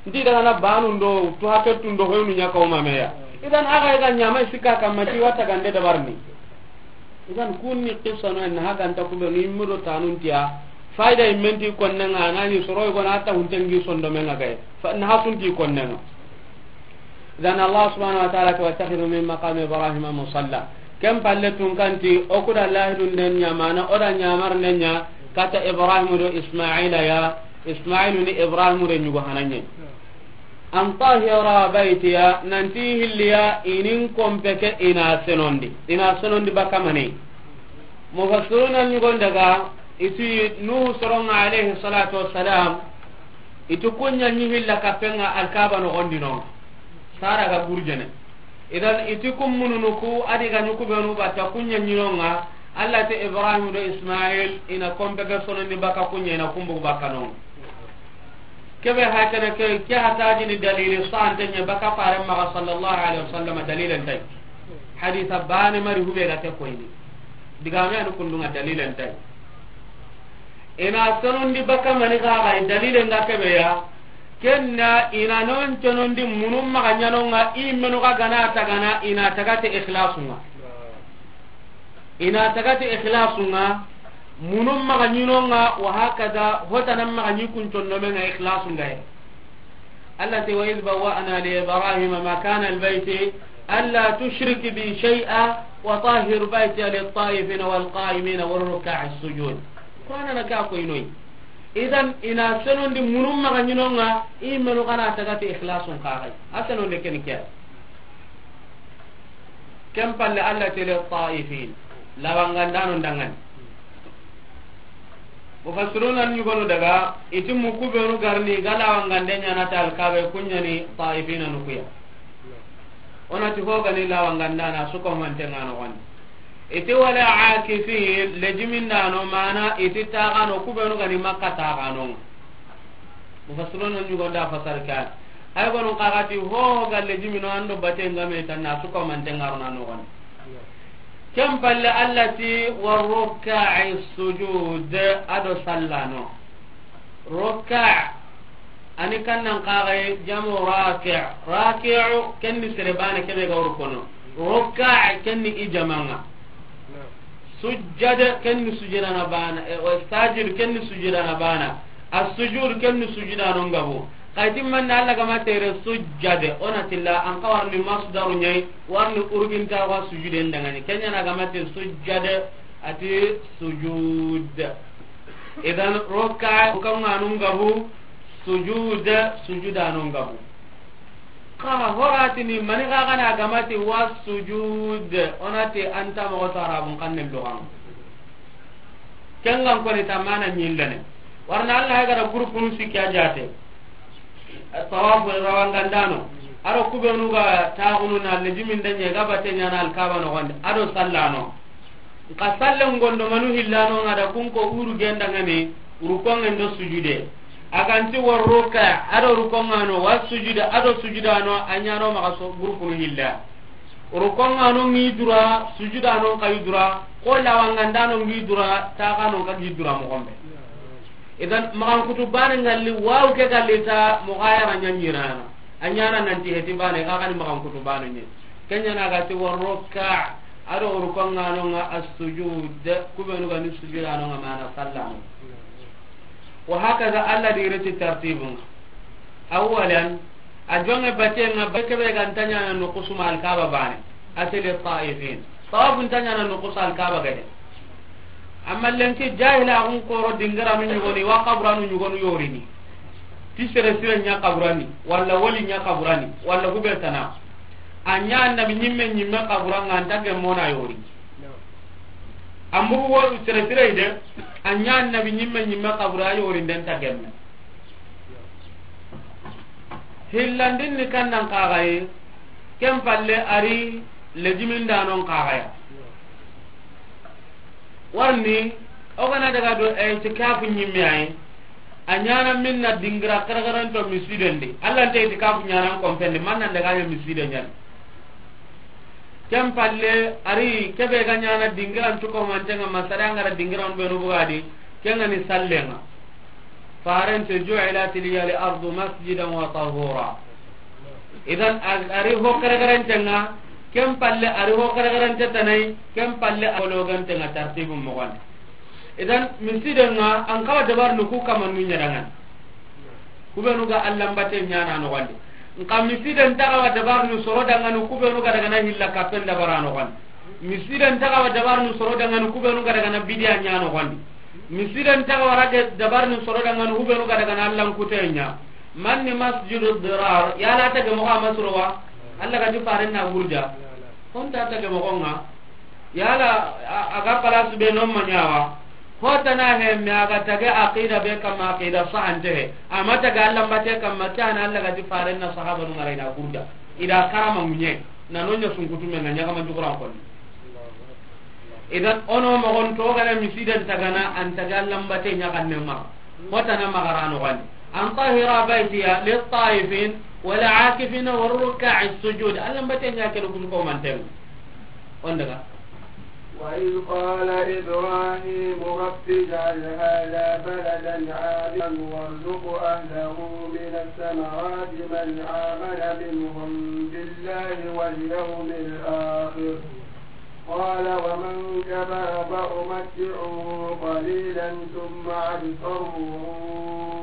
Nti daga na banu ndo to hakettu ndo hoynu nya ko ma meya. Idan aga ga nyama sika kamma ti wata gande dabarni. Idan kunni qissa no en haganta kube ni mudo tanun tiya. Fayda imenti konnenga nani soroy gona ta huntengi sondomenga gay. Fa na hasunti konnenga. Idan Allah subhanahu wa ta'ala ko wattakhidhu min maqami Ibrahima musalla. Kem palle tun kanti o kuda lahidun den nyamana o da nyamar nenya kata Ibrahim do Ismaila ya. Ismailu ni Ibrahim re nyugo hananye. An tahira baitiya nanti hilliya inin kompeke ina senondi ina senondi bakamane. Mufassiruna nyugon daga iti Nuhu soronga alayhi salatu wassalam. Iti kunya nyi hilla kapenga alkaba no gondino. Sara ga gurjene. Idan iti kum mununu ku adi ga nyuku benu bata kunya nyinonga. Allah te Ibrahim do Ismail ina kompeke sonondi baka kunya ina kumbu baka nonga. Kebe hakana ke ke hataji ni dalili sante nya baka fare maga sallallahu alaihi wasallam dalilan tay. Haditha bani mari hube ga ke koyni. Digame anu kundunga dalilan tay. Ina sonondi baka mani ga ga dalilan ga kebe ya. Kenna ina non sonondi munum maga nyano nga imenu ga gana tagana ina tagate ikhlasunga. Ina tagati ikhlasunga. Munum maga nyinonga wa hakada hotanam maga nyikun tondomenga ikhlasunga e. Allah te wa idh bawwa'na li Ibrahima makana al-bayti alla tushrik bi shay'a wa tahhir baytiya lit-ta'ifina wal-qa'imina war-rukka'is sujud. Qur'ana na ka ko inoy. Idan ina senondi munum maga nyinonga imenu kana tagati ikhlasun kagai. A senonde ken kiya. Ken palle Allah tele ta'ifin. Lawangandano ndangani. Mufassiruna nyugonu daga iti muku benu garni ga lawangande nyana tal kabe kunyani ta'ifina nukuya. Onati hogani lawangandana suko mante ngano wani. Iti wala akifin, lejimindaano, mana iti taxano, ku benu ga ni Makka taxano. Mufassiruna ɲugonda fasar kan. Ay gonu xa ga ti ho ga lejimino an do bate nga me tanna su ko man tengaruna no gon. Ken palle Allah ti warruka'i sujud, a do sallano. Rukka', ani kannan kaxaye, jamu raki'. Raki'u, ken ni sere bana kebe ga wuru kono. Rukka', ken ni i jamanga. Sujjada, ken ni sujudana bana. E, o sajid, ken ni sujudana bana. As-sujud, ken ni sujudano ngabu. Xayti manna Allah ga ma tere sujjada, o na tilla, an xa warni masdaru ɲayi, warni urginta wa sujuden dangani. Ken ɲa na ga ma te sujjada, ati sujud. Idan rukka', rukanŋanu ngabu, sujud, sujudanu ngabu. Xa horatini mani xa ga na ga ma ti wa sujud, o na ti anta moxo to Arabun xannen luxan. Ken ga n koni ta mana ɲillene. Warna Allah ga da gurupunu sikki a jate. Tawafu rawangandano. A do ku benu ga taxunu na lejimin da ɲe ga bate ɲana Alkaba noxondi. A do sallano. Nka sallen gondo manu hillano nga da kun ko uru gendangani, rukongen do sujude. A ga nti wa rukka', a do rukongano, wa sujude, a do sujudano, a ɲano maxa so gurupunu hilla. Rukongano ngi dura, sujudano nka yi dura, ko lawangandano ngi dura, taxano nka gi dura moxon be. Idan, maxan kutu bane ngalli, wawu ke galli ta, moxo a yara ɲa ɲirana. A ɲana nanti heti bane, xa xani maxan kutu bane ɲe. Ken ɲa na ga ti wa rukka', a do rukongano nga as-sujud, ku benu ga ni sujudano nga mana sallano. Wa hakaza, Allah di reti tartibun. Awwalan, a jonge batenga, be kebe ga nta ɲana no kusuma Alkaba bane. Ati li taifin. Tawafun nta ɲana no kusa Alkaba gade. Amma lenki jahila xun koro dingiranu ɲugoni, wa kaburanu ɲugonu yorini. Ti sere sire ɲa kaburani, walla wali ɲa kaburani, walla hube tana. A ɲa annabi ɲimme ɲimme kaburanga nta gemmona yori. An bugu wo sere sire de, a ɲa annabi ɲimme ɲimme kabura yori den ta gemme. Hillandin ni kannan kaxaye, ken palle a ri lejimindanon kaxaya. Warni, o ga na daga do itikafu ɲimme ayi, a ɲana minna dingira xerexeren to misiden di. Allah nta itikafu ɲana kompendi, man nan daga ɲa misiden ɲani. Ken palle, a ri kebe ga ɲana dingiran cuko mantenga, masare angara dingiran benu bugadi, ken ga ni sallenga. Farente, ju'ilat liya al-ardu masjidan wa tahura. Idan, a ri ho xerexerentenga, ken palle a ri ho xerexerente tanai, ken palle a logantenga tartibun moxon. Idan, misidenga, an kawa dabarnu ku kamannu ɲadangan. Ku benu ga Allanbate ɲana noxondi. Nka misiden taxawa dabarnu soro dangani ku benu ga dagana hilla kappen dabara noxondi. Misiden taxawa dabarnu soro dangani ku benu ga dagana bidiya ɲa noxondi. Misiden taxawa rage dabarnu soro dangani ku benu ga dagana Allan kute ɲa. Manni masjidu dirar, yala tage moxo a masurowa? Allah ga ti faren na gurja. Honta tage moxonga. Yala a, a ga place be non ma ɲawa. Hotana he, me a ga tage aqida be kamma, aqida sahante he. Ama tage Allanbate kamma, ke ana Allah ga ti faren na sahabanu ngara i na gurda. I da karama ŋuɲe. Na no ɲa sunkutu me na ɲaga ma juguran konni. Idan, ono moxon to gana misiden tagana, an tage Allanbate ɲaxanne ma. Hotana maxara noxondi. An tahira baytiya lit-taifin wal-akifina war-rukka'i sujud. Allanbate ɲa kene kusu ko manten. On daga. وإذ قال إبراهيم رب اجعل هذا بلدا آمنا وارزق أهله من الثمرات من آمن منهم بالله واليوم الآخر قال ومن كفر فأمتعه قليلا ثم أضطره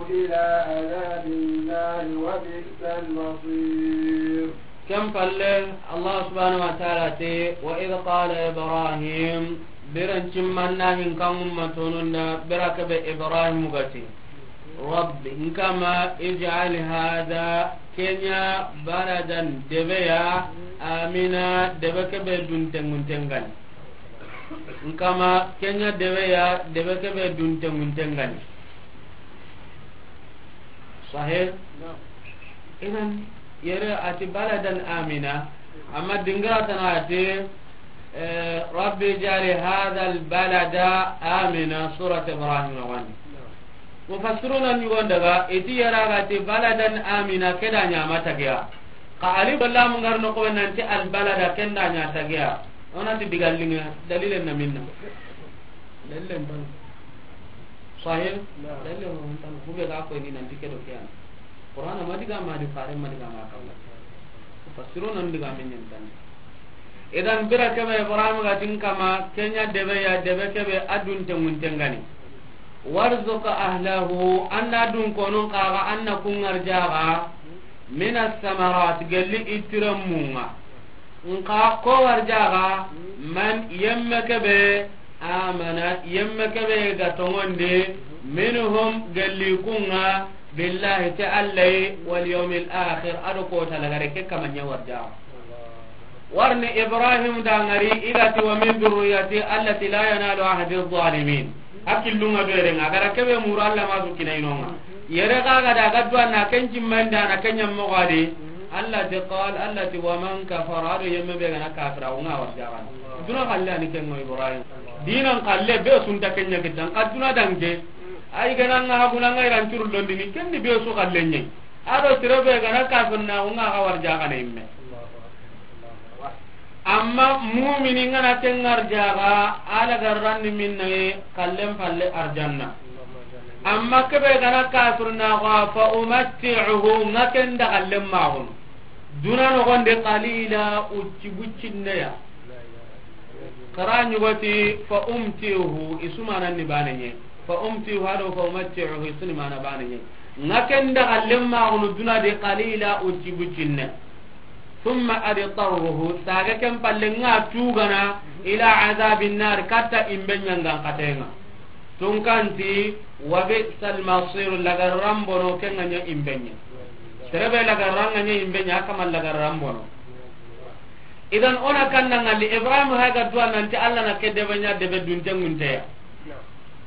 إلى عذاب النار وبئس المصير. Ken palle, Allah subhanahu wa ta'ala te, وإذ قال إبراهيم, biran cimmanna hin kan ummatonun da, bira kebe Ibrahim ga ti. Rabbi, n kama, ij'al hadha, kenya baladan, debe ya, amina, debe kebe duntenguntengani. N kama, kenya debe ya, debe kebe duntenguntengani. Sahih? Idan, yere ati baladan amina, amma dingira tana ati, Eh, Rabbi ij'al hadha al-balada amina, surat Ibrahim wani. Mufassiruna ɲugon daga, iti yara ga ti baladan amina, ke da ɲa ma tagiya. Ka alif lam ngar no ko nanti al-balada, ken da ɲa tagiya. Ona ti diga linga, dalilen na minna. Dalilen ban. Sahih? Dalilen ban. Ku be ga ko ni nanti ke do ke an. Qur'ana ma diga ma di fare ma diga ma kawla. Mufassiruna diga men ɲan tan. Idan bira kebe Ibrahim ga tin kama, kenya debe ya, debe kebe adun tengun tengani. Warzuq ahlahu, anna dun konun kaga, anna kungar jaga, minas samarat, gelli itiramunga. Nka ko war jaga, man yemme kebe, amana, yemme kebe ga tongonde, minhum, gelli kunga, billahi, te Allah, wal yawmil akhir, ado ko talagare ke kamanya war jaga. Warni Ibrahim dangari, i ga ti, "Wa min dhurriyyati allati la yanalu ahdi adh-dhalimin." A killunga do yerenga, a gara kebe muru Allah ma su kinainonga. Yere ga ga da ga duwa na ken jimmanda na ken nyammo gadi. Allah ti qal, Allah ti, "Wa man kafara," ado yemme be gana kafira, unga war jagan. Duna kalle ani ken ngo Ibrahim. Dinan kalle be sunta kenya kitan, ka duna dange. Ay gana nga habuna nga iran curul londini, ken ni be su kalle nyai. Ado tirebe gana kafir na unga ga war jagan imme. Amma mumini ngana ken ngar jaga, ala garranni minna ye, kallen palle arjanna. Amma kebe gana kafir na ga, fa umatti'uhu, nga ken da kallen magun. Duna no gonde qalila, ucci buccinne ya. Qara ɲugoti, fa umti'uhu, isumanan ni bane nye. Fa umti'uhu, ado fa umatti'uhu, isuni mana bane nye. Nga ken da kallen magun duna de qalila, ucci buccinne. Thumma adtarruhu, saga ken palle nga tugana, ila adhabin nar, katta imbe ɲangan katenga. Tunkanti, wa bi'sal masir, lagarran bono, ken nga ɲa imbe ɲa. Terebe lagarran nga ɲa imbe ɲa, kama lagarran bono. Idan ona kanna ngali Ibrahim haga duwa nanti Allah na ke debe ɲa debe dunte ngunteya.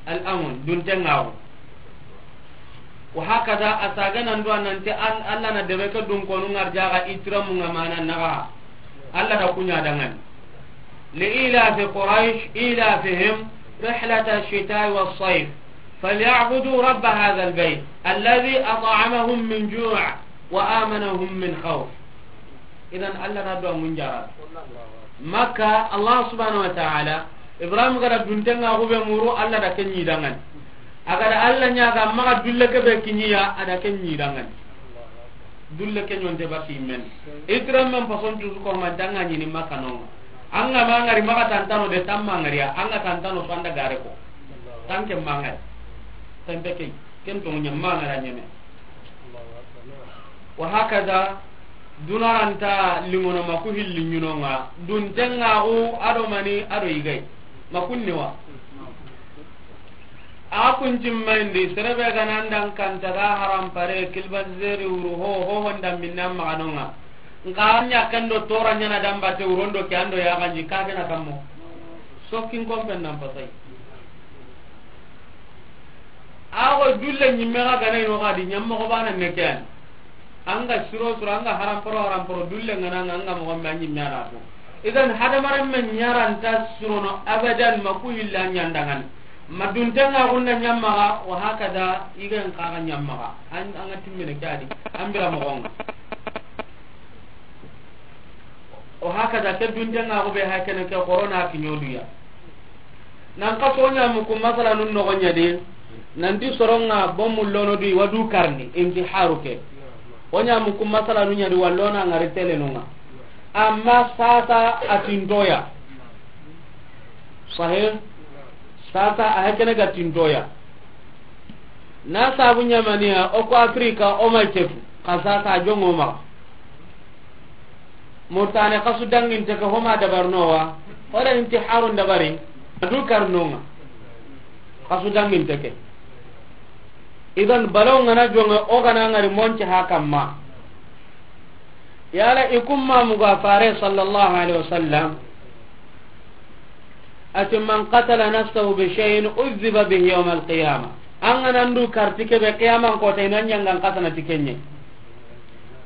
Al amun, dunte ngawo. Wa hakada, a saga nan duwa nanti an-, Allah na debe ke dun konu ngar jaga itiramu nga mana naga. Allah da kunya dangan. Li ilafi Quraysh, ilafihim rihlata ash-shita'i was-sayf. Falyabudu rabba hadha al-bayt alladhi at'amahum min ju' wa amanahum min khawf. Idan Allah na do mun jara. Makka, Allah subhanahu wa ta'ala, Ibrahim gara duntenga hube muru, Allah da ken ɲi dangan. Agada Allah ɲa ga maga dulle ke be kinyiya, ada ken ɲi dangan. Dulle ke ɲonte baki men. Itram men pason tu ko man tanga ɲi ni Makka no. Anga mangari maga tantano de tamma ngariya, anga tantano sanda gare ko. Tanke mangari. Tanke ke, ken to nya mangara nyeme. Wa hakaza, dunaranta lingono maku hilli ɲunonga, duntengaxu ado mani ado yigay. Makunni wa. A kuncimmayindi, serebe ganandan kantaga harampare, kilbatizeri wuru ho, ho honda minna maxanonga. Nka ɲakkendo tora ɲana dambate wurondo ke ando yaxanji, kagena kammo. Sokkin kompen nan pasay. Ago dulle ɲimme ga gana ino ga di ɲammoxo bana ne ke ani. Anga siro siro, anga haramporo haramporo, dulle ngana nga anga moxo me a ɲimme ana ko. Idan hadamaren me ɲaranta sirono abadan, ma ku hilla ɲandangan. Ma duntenga gunna ɲammaga, wa hakada igen kaga ɲammaga. An, anga timmene ke adi. Ambira moxonga. O hakada ke duntenga go be hakene ke corona kiɲoduya. Nan ka sonya muku masala nun no gonya de. Nanti soronga bomu lono di wadu karni intiharu ke. Onya muku masala nun nya di wallona ngari tele nunga. Amma sasa atintoya. Sahih. Sasa a hakene ga tintoya. Na sabu ɲamaniya o ko Afrika o ma cefu. Ka sasa jongo ma. Murtane kasu danginte ke homa dabarnowa, o da intiharun dabari, adu karnonga. Kasu danginte ke. Idan balaw ngana jonga o gana ngari monce ha kamma. Yala ikumma muga fare sallallahu alaihi wasallam. Ati, "Man qatala nafsahu bi shay'in udhiba bihi yawm al-qiyamah." An ga na ndu karti kebe qiyaman kota ina ɲangan kasana ti kenye.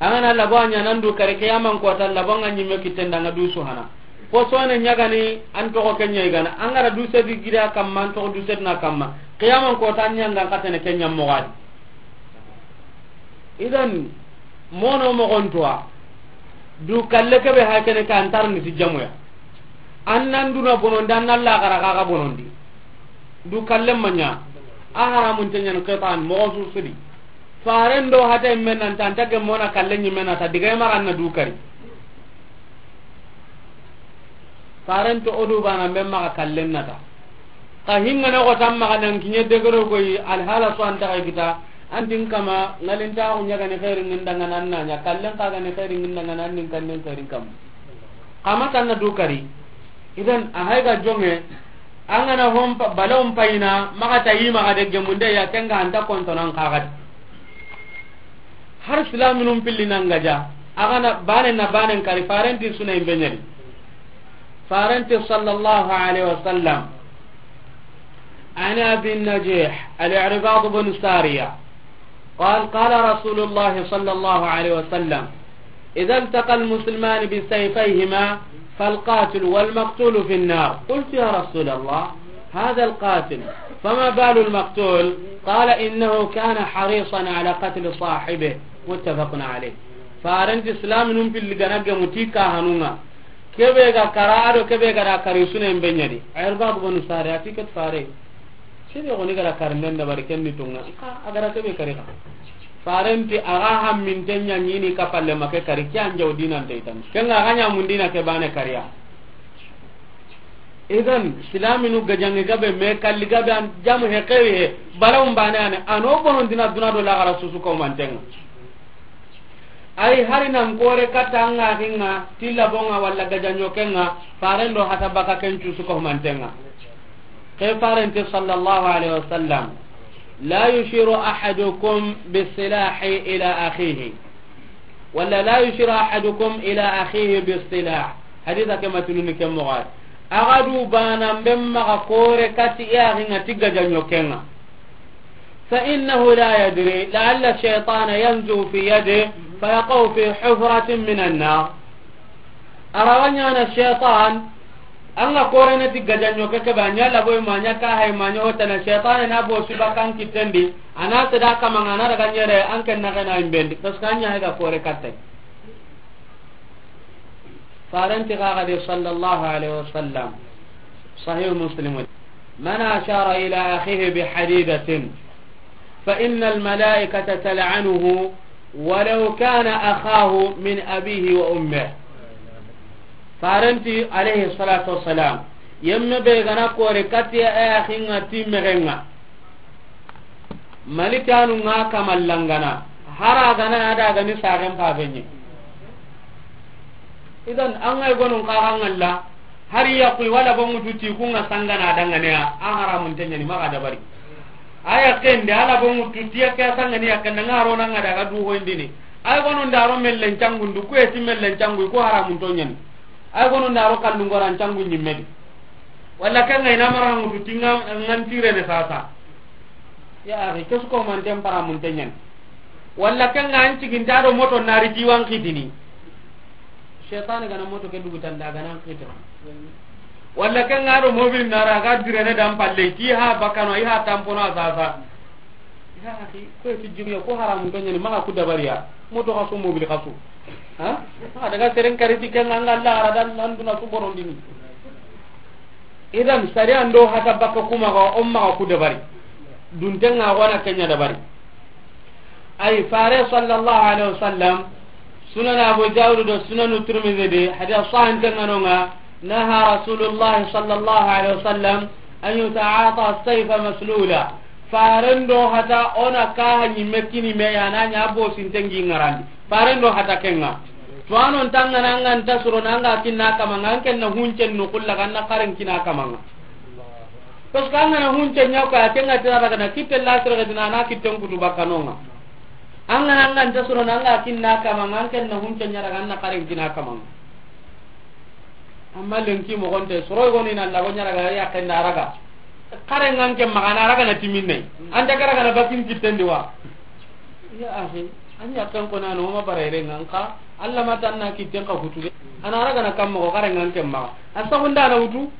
An ga na labo anya na ndu kari qiyaman kota labo nga ɲimme kitenda nga dusu hana. Fo sone ɲagani, an toxo ke ɲa i gana. An ga ra du sedi gida kamma, an toxo du sedina kamma. Qiyaman kota an ɲangan katene ke ɲa moxo a di. Idan, mono moxon tuwa. Du kalle kebe ha kene ka antar ni ti jamuya. An nan duna bonondi, an nan laxara xa ga bonondi. Du kalle ma ɲa. A haramun te ɲan qit'an, moxo su su di. Faren do hata imme nan ta, an ta gemmona kalle ɲimme na ta, diga i maxa an na du kari. Faren ti o du bana be maxa kallen na ta. Xa hingane xo tan maxa nan kiɲe degero goyi, alhala so an ta xa kita, an tin kama, ngalintaxu ɲagani xeeri ŋindangana an na ɲa, kallen xa gani xeeri ŋindangana an nin kannen xeerin kam. Xa ma tan na du kari. Idan, a hay ga jonge, an gana hon pa-, balawun payina, maxa ta yi maxa de gemunde ya, kenga anta kontonan xaxati. Har silaminun pilli nan gaja, a gana bane na banen kari, farenti suna imbe ɲadi. Farenti sallallahu alaihi wasallam. عن أبي النجيح العرباض بن سارية قال: قال رسول الله صلى الله عليه وسلم: إذا التقى المسلمان بسيفيهما فالقاتل والمقتول في النار. قلت: يا رسول الله، هذا القاتل، فما بال المقتول؟ قال: إنه كان حريصا على قتل صاحبه. متفق عليه. Farenti silaminun pilli gana gemu ti kahanunga. Kebe ga kara ado kebe ga da kari suna imbe ɲadi. Irbad bin Sari a ti ket fare. Sebe goni ga da kari nden da bari ken ni tunga. Ka a ga da kebe kari ka. Farenti a ga hamminten ɲa ɲini ka palle ma ke kari, ke an jaw dinan te itan. Ken ga ga ɲa mun dina ke bane kariya. Idan, silaminu gajangi gabe me kalli gabe an jamu he kewi he. Balawun bane ane, ano bonon dina duna do laxara susu ko mantenga. Ay hari nan kore katta an ga hinga, tilla bonga walla gajanyo kenga, faren do hata baka ken cusu ko mantenga. Ke farenti sallallahu alaihi wasallam: لا يشير أحدكم بسلاحه إلى أخيه. ولا: لا يشير أحدكم إلى أخيه بالسلاح. Hadisa ke matununi ke moxo a di. A ga du bana be maxa kore kati i axinga ti gajanyo kenga. فإنه لا يدري، لعل الشيطان ينزغ في يده فيقع في حفرة من النار. A rawa ɲana shaytan, an ga korene ti gajanyo ke, ke ba ɲa labo ma ɲa ka hay ma ɲa hotana, shaytan na bo siba kan kitendi, ana seda kamanga na daga ɲere an ken na gana imbendi, parce que an ɲa ga kore katte. Farenti ga ga de sallallahu alaihi wasallam. Sahih Muslim. من أشار إلى أخيه بحديدة فإن الملائكة تلعنه ولو كان أخاه من أبيه وأمه. Farenti alaihi salatu wassalam, yemme be gana kore kati a axinga ti mexenga. Malikanu nga kamallangana, hara gana ada gani sagen pabenye. Idan, an ga gonun kaga ngalla, hari ya kuy wala bongu tuti ku nga sangana dangane ya, a haramun tenyani maga dabari. Aya kende ala bongu tuti ya ke sangani ya kenda nga ro nanga daga du ho indini. Ay gonun daro mellen cangundu, ku eti mellen cangu, ku haramun tonyani. Ay gonun daro kallungoran cangu nyimmedi. Walla kanga ina mara ngutu tinga ngan tirene sasa. Ya akhi, kesu ko manten para mun tenyen. Walla kanga an ciginta do moto nari ti wan kitini. Shaytan gana moto ke dugu tanda gana kita. Walla kanga do mobil nara ga direne dan palle ti ha bakano i ha tampono sasa. Ya akhi, ko ti jigiyo ko haramu to nyani maga ku dabariya. Moto kasu, mobil kasu. Ha? Maga daga seren kariti kenga nga Allah ara dan nan duna su borondini. Idan sariya ndo hata baka kuma ga umma ga ku dabari. Duntenga wana kenya dabari. Ay fare sallallahu alaihi wasallam, Sunan Abu Dawud do Sunan Tirmidhi de, hadith sahih tenganonga, naha Rasulullah sallallahu alaihi wasallam an yuta'ata as-sayfa maslula. Farendo hata ona kaha nyimme kini me ya na nya bo sintengi ngarandi. Farendo hata kenga. Tuwano ntanga nanga nta suro nanga kinna kama ngan kenna huncen no kulla kanna karen kina kamanga. Parce que angana huncen nya ko ya kenga tira daga na kitte la tira dina na kitten kutu bakanonga. Angana anga nta suro nanga kinna kamanga ngan kenna huncen nya daga na karen kina kamanga. Amma lenki mogonte, soro goni na lago ɲaraga ya kenda raga. Kare ngan ke magana raga na timinne. Anta kara kana bakin kitten di wa. Ya akhi, an ya kan ko na no ma barere ngan ka. Allah ma tan na kitten ka kutu de. A na ragana kamma ko xarengan kemma. A saxunda na wutu.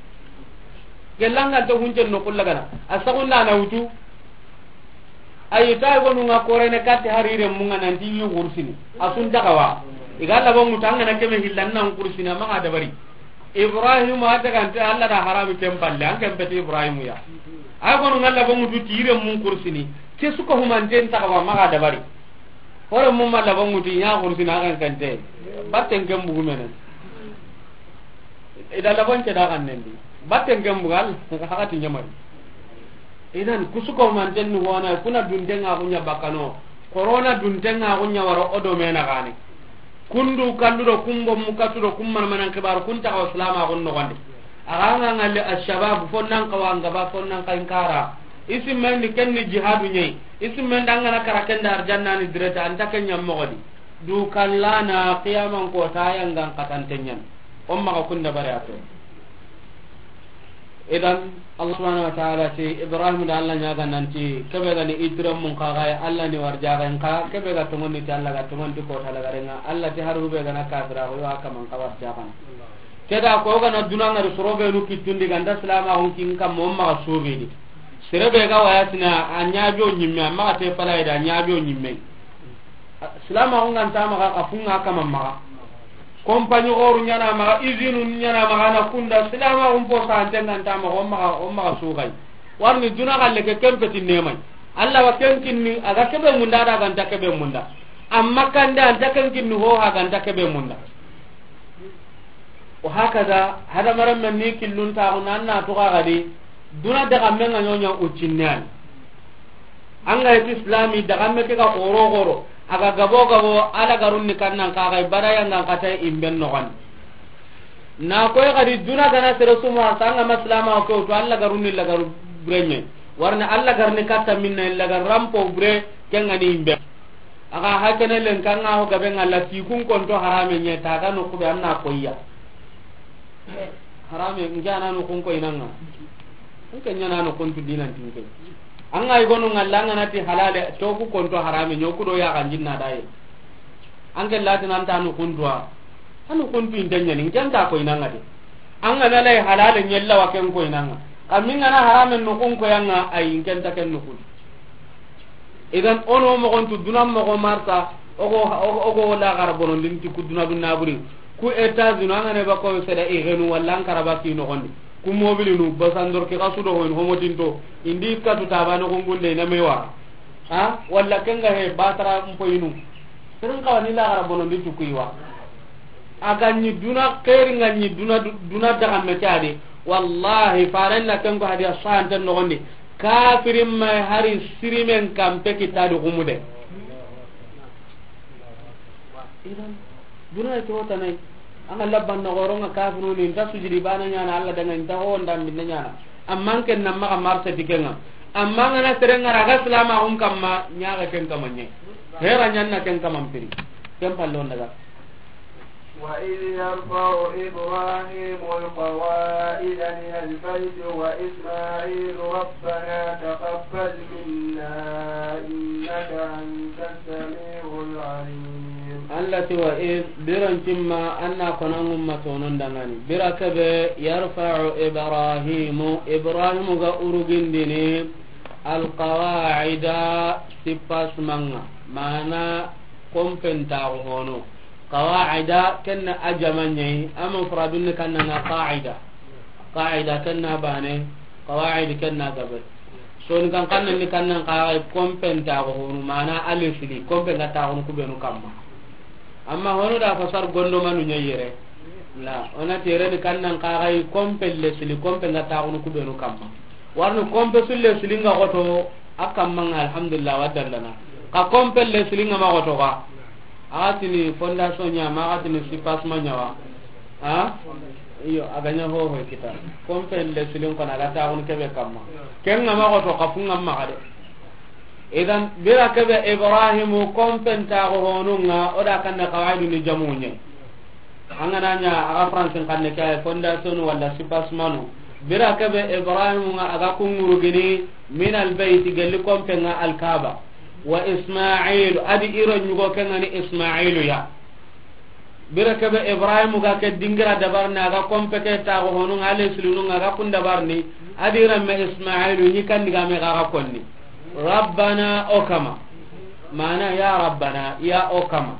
Gellanga ta hunjen no kullagana. A saxunda na wutu. Ayi, ta gonu nga korene katti harire munga nanti yi kursini. A sun ta xawa. I ga labo mutu an ga na keme hillan nan kursini, a maxa dabari. Ibrahim a ta gante Allah da harami ken palle, an ken peti Ibrahim ya. Ay gonu nga labo mutu tire mun kursini. Ke suka humanten ta xawa, maxa dabari. Hore mun ma labo mutu nya kursini a kan kante. Batten ken bugu menen. Ida labon ke da kan nendi. Batten ken bugal, hakati nyamari. Idan, kusuko manten ni hona, kuna dunten nga kunya bakano. Corona dunten nga kunya waro odo mena gane. Kundu kallu do kumbo mukatu do kumman manan kibar kun ta ko salama kun no gonde. Aga nga ngalle ashabab fonnan kawa nga ba fonnan kainkara. Isim men di kenni jihadu nyai. Isim men dangana karaken da arjanna ni direta anta kenya mogodi. Du kallana qiyaman ko tayangan katantenyan. Umma ka kunda bare ato. Idan, Allah subhanahu wa ta'ala ti Ibrahim da Allah nyaga nanti, kebe gani Ibrahim mun kaga ya Allah ni warjaga en ka, kebe ga tongon ni ti Allah ga tongon ti ko ta lagarenga, Allah ti haru be gana kafira ko yo aka man ka warjaga. Keda ko gana dunanga ri sorobe nu kitundi ganda salama on kin kam mo ma sugi di. Serebe ga waya tina a nyajo nyimme, amma te pala ida nyajo nyimme. Silama ko nganta maxa, ka funga kama maxa. Compagnie oru nyana maxa, usine nyana maxa na kunda. Silama ko po sante nganta maxa, o maxa, o maxa sugai. Warni duna galle ke kempeti nemai. Allah wa ken kinni, aga kebe munda da ganta kebe munda. Amma kande anta ken kinni ho ha ganta kebe munda. O hakaza, hada maram men ni killun ta ko nan na to ga gadi. Duna daga men nga nyonya ucinne an. An ga yeti islami daga me ke ga goro goro. Aga gabo gabo ala garun ni kannan ka ga ibada yang an kata imben no kan. Na ko ya gadi duna gana sere suma sanga maslama ko to Allah garun ni lagaru brenye. Warna Allah garni kata minna lagarampo bre kengani imbe. Aga hakene len kanga ho gabe ngalla ti kun konto harame nye taga no kube anna koyya. Harame njana no kun koy nanga. Nke nyana no kun tu dinan tinke. Anga igono ngalla ngana ti halale to ku konto harame nyoku do ya ganjinna dai. Anke lati nan ta no kun duwa. Anu kun tu intenya ni njanta koy nanga de. Anga na lay halale nyella wa ken koy nanga. Kaminga na harame no kun koyanga ay nkenta ken no kun. Idan ono moxon tu duna moxo marsa, ogo, ogo, ogo la gara bonon din ti ku duna duna buri. Ku États-Unis, an ga ne ba ko seda i genu walla an karaba ki no gondi. Ku mobilinu, basandor ki kasudo hoyin homotinto, indi katu tabane gungunde na mewa. Ha? Walla kenga he batara mpoyinu. Sirin kawani la gara bonon di tukuiwa. A ga ɲi duna xeeri, ŋa ɲi duna, duna daga me ke a di. Wallahi, faren na ken ko hadiya sahanten noxondi. Kafirin ma hari sirimen kampe kita di xumude. Idan, duna ke wota nay. An ga labban na xoronŋa kafiruni, nta sujudi bana ɲana, Allah danga nta ho nda minne ɲana. Amma ken na maxa marsa dikenŋa. Amma ngana serenŋa raga silama xun kamma, ɲaga ken kamma ɲe. Hera ɲanna ken kamma mpiri. Ken pallon daga. وإذ يرفع إبراهيم القواعد من البيت وإسماعيل ربنا تقبل منا إنك أنت السميع العليم. Allati wa iz, biran cimma anna konan umma tonon dangani. Bira kebe yarfa'u Ibrahimu, Ibrahimu ga urugindini alqawaida sipasmanga. Mana kompen taxu hono. Qawaida kenna a jama ɲayi, a mufradun ni kanna na qaida. Qaida kenna bane, qawaid kenna gabe. Soni kan kanna ni kanna qawaid kompen taxu honu, mana a lesili, kompen ga taxunu kubenu kamma. Amma honu da fasar gondo manu ɲayi yere. La, ona tere ni kanna qawaid kompen lesili, kompen ga taxunu kubenu kamma. Warni kompe sulle silinga xoto, a kammanga alhamdulillah wa dallana. Ka kompe le silinga ma xoto ka. A ga tini fondation ɲa ma, a ga tini sipasma ɲa wa. Ha? Iyo, a ga ɲa ho ho kita. Kompe le silin kona a ga taxunu kebe kamma. Kenga ma xoto ka funga ma xa de. Idan, bira kebe Ibrahimu kompen taxu honunga, o da kanna qawaidu ni jamu ɲe. An ga na ɲa a ga Faransin kanne ke ay fondation wala sipasmanu. Bira kebe Ibrahimu nga a ga kunguru gini min albayt gelli kompenga alkaba. Wa Ismail, adi iro ɲugo kengani Ismailu ya. Bire kebe Ibrahim ga ke dingira dabarni, a ga kompe ke taxo honu, a le silinu, a ga kun dabarni. A di remme Ismailu ni kan digame ga ga konni. Rabbana, o kama. Mana ya Rabbana, ya o kama.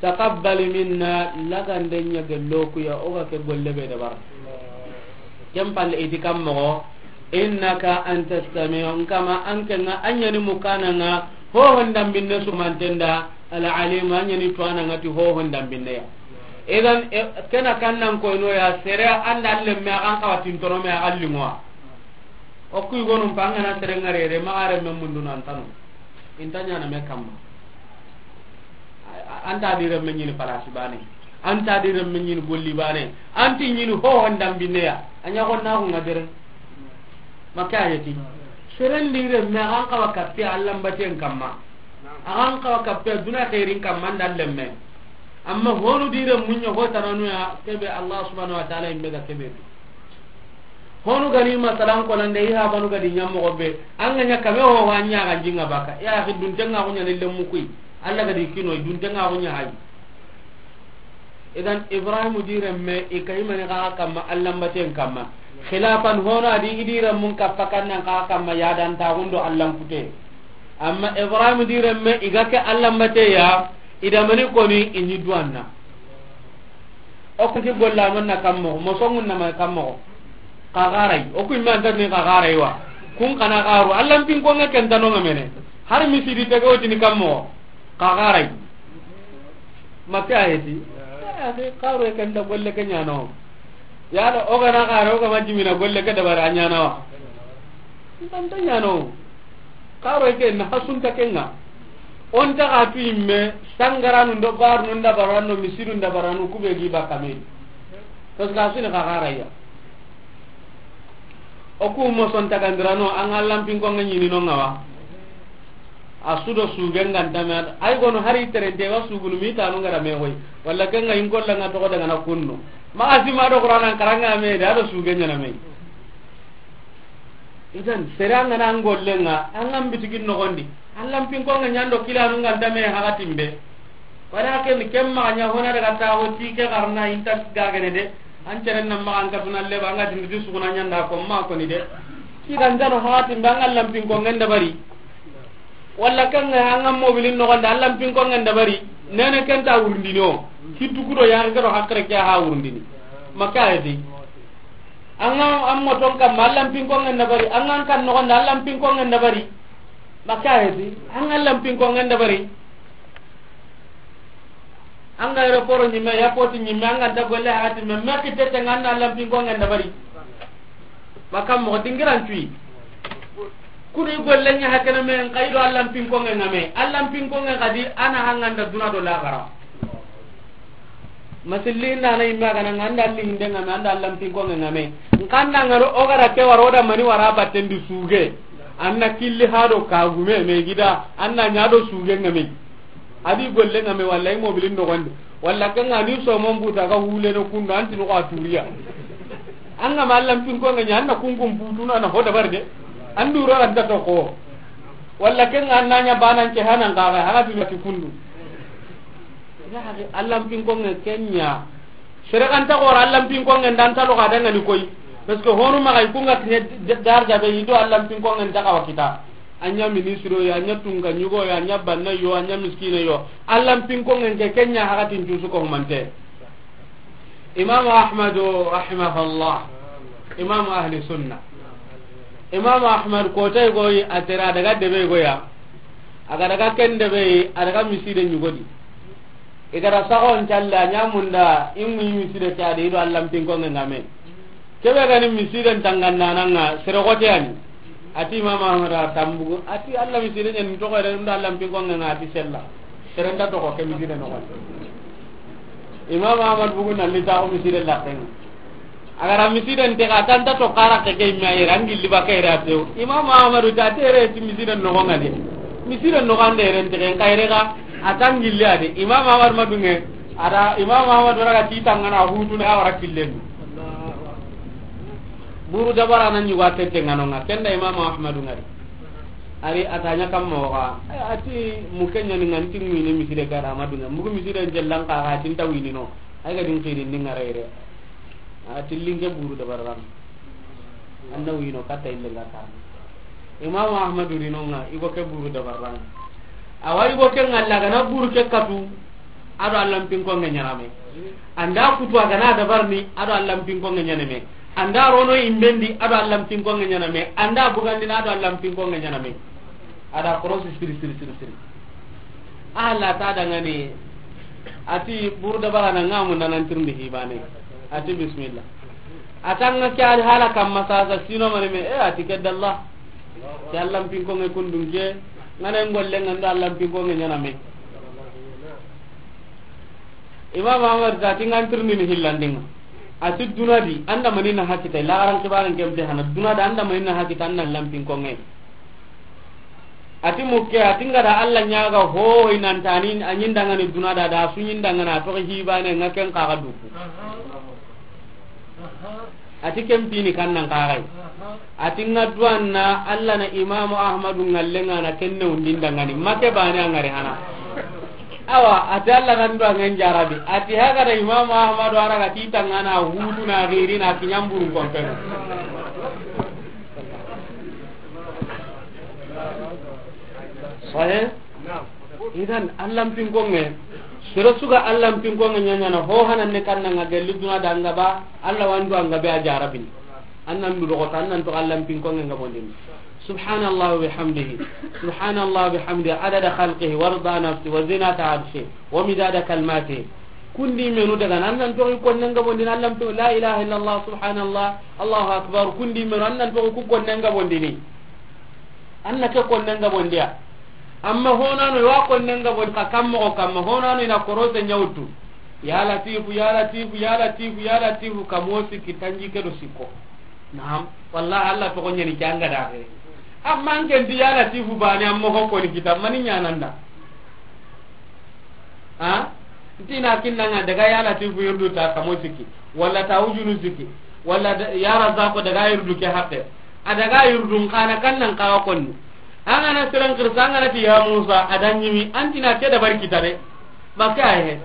Taqabbal minna, lagande ɲa gello ku ya, o ga ke golle be dabar. Ken palle iti kam moxo, innaka anta samiu, n kama an ke ŋa, an ɲa ni mukana ŋa, ho hondambinne sumantenda, al alim, an ɲa ni tuwana ŋa ti ho hondambinne ya. Idan, e, kena kannan koyno ya, sere anda lemme a kan kawa tintono me a kan lingoa. O kuy gonum pa an ga na sere ŋarere, ma are me mundu nan tanu. Inta ɲana me kamma. A-, a-, anta di remme ɲini palasi bane. Anta di remme ɲini golli bane. Anti ɲini ho hondambinne ya. A ɲa gonna ku ŋa dere. Maka ayeti. Seren di remme a kan kawa kappe Allan baten kamma. A kan kawa kappe duna xeerin kamma nda lemme. Amma honu di remmu ɲa ho tananu ya, kebe Allah subhanahu wa ta'ala imbe ga kebe. Honu gani masalan konande i habanu gadi ɲammoxo be, an ga ɲa kame ho wa ɲa ga jinga baka. Ya axi, duntenga ko ɲa ni lemmu kuy. Alla gadi kino, duntenga ko ɲa hay. Idan Ibrahim di remme, i kayimani xa kamma, Allan baten kamma. Xilafan hono a di i di remmun kappa kannan xa kamma, yadantaxun do Allan kute. Amma Ibrahim di remme, i ga ke Allan bate ya, i da mani koni, i ni duwanna. O ku ti golla non na kammo, mosongun na ma kammo. Ka garai, o ku imma anta ni ka garai wa. Kun kana garu, Allan pinkonga ken tano ŋa mene. Har misidi tege o tini kammo. Ka garai. Maka ayeti. Eh, akhi, garu ken da golle ke ɲano. Ya da o ga na garu, o ga ma jimina golle ke dabara ɲana wa. Anta ɲano. Garu ke na hasunta kenga. On ta ga tu imme, sangaranu ndo barnu nda baranu, misidu nda baranu, kube gi bakame. Parce que asuni ka garaya. O ku mo son tagandirano, an ga Allan pinkonga ɲini no ŋa wa. A su do sugen ga ntame, ay gono hari terente wa sugunu mi tanu ngara me hoy. Walla kenga in golla nga to daga na kunno. Ma asi ma do Qur'anan karanga me da do sugen ɲana me. Idan, sere an ga na an gollenga, an ga n bitigin noxondi. Allan pinkonga ɲando kilanu nga ntame hakatimbe. Walakin ken maxa ɲa hona daga taxo ti ke xarna inta gagene de. An ceren na maxa an katuna leba, an ga tindi suguna ɲanda ko ma koni de. Ti ga ntano hakatimbe an ga Allan pinkonga ndabari. Walla kanga an ga mobilin noxondi Allan pinkonga ndabari. Nene kenta wurundini o. Ki dugudo ya ga do hakre ke ha wurundini. Maka ayeti. An ga an moton kamma Allan pinkonga ndabari, an ga an kan noxondi Allan pinkonga ndabari. Maka ayeti, an ga Allan pinkonga ndabari. An ga aéroport ɲimme, airport ɲimme, an ga nta golle hakati me, me kitete nga an da Allan pinkonga ndabari. Maka mo dingiran cuyi. Kudi golle ɲa hakana me, n kayido Allan pinkonga nga me. Allan pinkonga kadi, ana hanganda duna do laxara. Masilli nda na imme a ga na nga an da Alli hinde nga me, an da Allan pinkonga nga me. N kanda ngaro o ga da ke waro da mani wara batten di suge. An na killi hado kagume me gida, an na ɲa do suge nga me. A di golle nga me, walla i mobilin noxondi. Walla kenga ni somon buta ga huleno kundo, an tinu ko a turiya. An ga ma Allan pinkonga ɲa, an na kunkun butuna na ho dabar de. An duro an ta to ko. Walla kenga an na ɲa banan ke hanan ga ga, haga tinu ti kundu. Ya, Allan pinkonga ken ɲa. Sere kan ta xora Allan pinkonga nda an ta lo ga danga ni koy. Parce que honu maxa i kunga kiɲe d-, darja be i do Allan pinkonga nta xawa kita. A ɲa ministre yo, a ɲa tunga ɲugo yo, a ɲa banna yo, a ɲa miskine yo. Allan pinkonga ke ken ɲa hakatin cusu ko humante. Imam Ahmadu rahimahullah. Imam ahli sunna. Imam Ahmad ko tay goyi a tera daga debe goya. A ga daga ken debe, a daga miside ɲugodi. I ga da saxon calle, a ɲa munda, i mu miside ke a di, i do Allan pinkonga nga me. Kebe ga ni misiden tangandananga, sere xote yani. A ti Imam Ahmad a tambugu, a ti Alla miside ɲani toxo yere, nda Allan pinkonga nga, a ti sella. Sere nda toxo ke miside noxon. Imam Ahmad bugu na li taxo miside laxen. A ga ra misiden te ga tanta to xara ke ke imme a yere, an gilli ba ke yere a tew. Imam Ahmadu ta tere ti misiden noxon nga de. Misiden noxon nga de yere nte ke n ka yere ga a tan gilli a de. Imam Ahmad madunge, a da Imam Ahmadu raga ti tangana hutu na a wara killen. Buru dabara nan ɲugo a tete nga no nga. Ken da Imam Ahmadu nga de. Ari a ta ɲa kamma waxa, a ti muke ɲani ŋa nti ŋuini misire ga da ma dunŋe, mugu misire n jellan xa ga ti nta wini no, ay ga din xiri ndi ŋa rayre. A ti linke buru dabarran. An na wino katta ille nga karni. Imam Ahmadu ri no ŋa, i go ke buru dabarran. Awa i go ke ŋa la ga na buru ke katu. A do Alla n pinkonŋe ɲaana me. An da kutu a ga na dabarni, a do Alla n pinkonŋe ɲaana me. An da rono i mbendi, a do Alla n pinkonŋe ɲaana me. An da bugandini, a do Alla n pinkonŋe ɲaana me. A da korosi siri, siri, siri, siri. Alla ta dangani, a ti buru dabara na ŋa munda nan tirindi hibane. A ti bismillah. A ta ŋa ke ali hala kamma sasa sino mani me, e, a ti ke dalla. Ke Alla n pinkonŋe kundunke, ŋa na ŋolle ŋa n do Alla n pinkonŋe ɲaana me. Imam Ahmad ta ti ŋa n tirindini hillandinŋa. A ti duna di, an da mani na hakita, lagaran kibaran kemte hana, duna da an da mani na hakita, an na Alla n pinkonŋe. A ti muke, a ti ŋa da Alla ɲaga ho, i nan ta ni, a ɲi n dangani duna da, da su ɲi n dangana, a toxi hibane, ŋa ken xa ga duku. A ti ken pini kan nan xa ga yi. A ti ŋa duwanna Alla na Imamu Ahmadu ŋalle ŋa na kenne undi n dangani. Make bane a ŋari hana. Awa, a ti Alla nan duwa ŋen jarabi. A ti haga da Imamu Ahmadu a ra ga ti tangana hutu na giri na kiɲamburun kompeno. Sahih? Idan, Alla n pinkonŋe, sere su ga Alla n pinkonŋe ɲaɲana, ho hanan ne kan na ŋa gelli duna da ŋa ba, Alla wa n duwa ŋa be a jarabini. An nan du doxoto, an nan to Alla n pinkonŋe ŋa bondini. Subhanallah wa bihamdihi. Subhanallah wa bihamdihi. Adada khalqihi, wa rida nafsihi, wa zinata arshihi, wa midada kalimatihi. Kundi menu daga, an nan to i konne ŋa bondini, Alla n pin-, la ilaha illallah, subhanallah, Allahu akbar. Kundi menu, an nan to ku konne ŋa bondini. An na ke konnen gabondiya. Amma honano i wa konnen gabondi ka kammoxo kamma, honano i na korose ɲawtu. Ya Latifu, ya Latifu, ya Latifu, ya Latifu, kamo sikki tanjikke do sikko. Naam. Wallahi, Alla toxo ɲani ke an ga daxe. Amma an ken ti ya Latifu bane, an moxo koni kita, mani ɲananda. Ha? Ntina kinnanga daga ya Latifu yurdu ta kamo sikki, walla ta wujunu sikki, walla da-, ya Razaqu daga yurdu ke haqqe. A daga yurdu n xana kannan kawa konni. An ga na siran xirsa, an ga na ti ya Musa, a da ɲimi, antina ke da bari kita de. Maka he.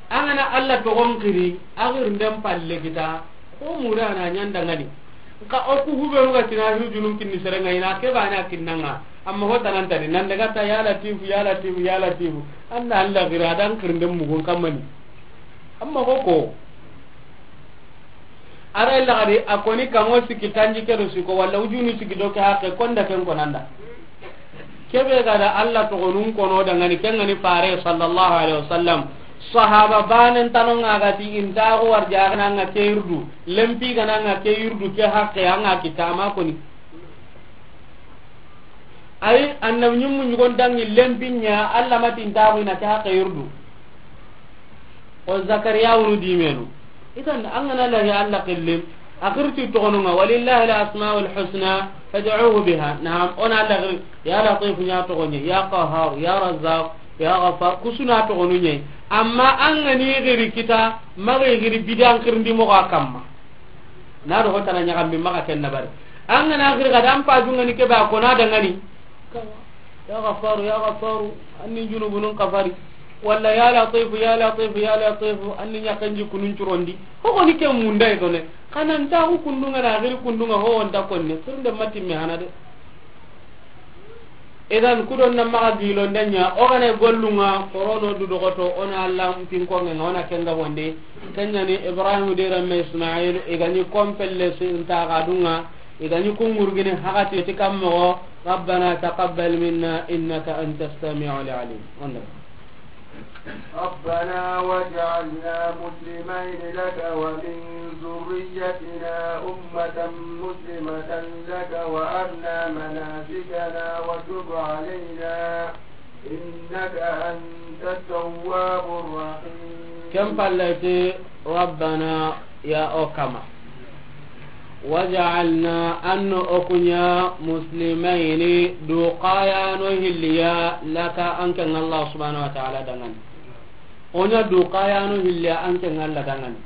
An ga na Alla toxon xiri, a xiri nden palle kita. Ko mura na ɲanda ngani. Nka o ku hubenu ga tina hujunun kinni serenga, ina ke bana kinnanga. Amma ho tananta di, nan daga ta ya Latifu, ya Latifu, ya Latifu. Anda Alla gira dan kirnden mugun kammani. Amma ho ko. Ara illa gadi, a koni kamo sikki tanjikke do sikko, walla wujunu sikki do ke haqqe, konda ken konanda. Kebe ga da Alla toxonun kono dangani, ken ga ni Fare sallallahu alaihi wasallam. Sahaba banen tanonga ga ti intaxu warjaxana nga ke yurdu, lempi gana nga ke yurdu ke haqqe anga kitama koni. Ay, annabi ɲimmu ɲugon dangi lempi ɲa, Alla ma ti intaxu ina ke haqqe yurdu. O Zakariya wunu dimenu. Idan, an ga na lahi Alla xillim, a xirti toxonunga, "Walillahi al-asmaul husna fad'uhu biha." Naam, o na Alla xiri, ya Latif ɲa toxoɲe, ya Qahhar, ya Razzaq, ya Ghaffar, kusuna toxonunye. Amma an ga ni xiri kita, maxa xiri bidan xirindi moxo a kamma. Na do hotana ɲaxambi maxa ken na bari. An ga na xiri ga dan pajunga ni kebe a kona dangani. Ya Ghafaru, ya Ghafaru, anni junubunun kafari. Walla ya Latifu, ya Latifu, ya Latifu, anni ɲakanji kunun curondi. Ho koni ke munda e done. Xanantaxu kundunga na xiri kundunga ho wonta konne. Sirnde matimme hana de. Idan kudon na maxa gilonde ɲa, o gane gollunga, korono du doxoto, o na Alla pinkonge nga, o na kenga bonde. Kenyani Ibrahim de ramme Ismail, i gani kompelle sinta gadunga. I ga ni kungurgini hakati ti kammoxo, "Rabbana taqabbal minna innaka anta samiul alim." Onda. ربنا واجعلنا مسلمين لك ومن ذريتنا أمة مسلمة لك وأرنا مناسكنا وتب علينا إنك أنت التواب الرحيم. Ken palle ti, Rabbana, ya o Kama. Waj'alna, an no o ku ɲa, muslimayni, du kayano hilliya, laka, an ke ŋa Allah subhanahu wa ta'ala dangani. O ɲa du kayano hilliya, an ke ŋa Allah dangani.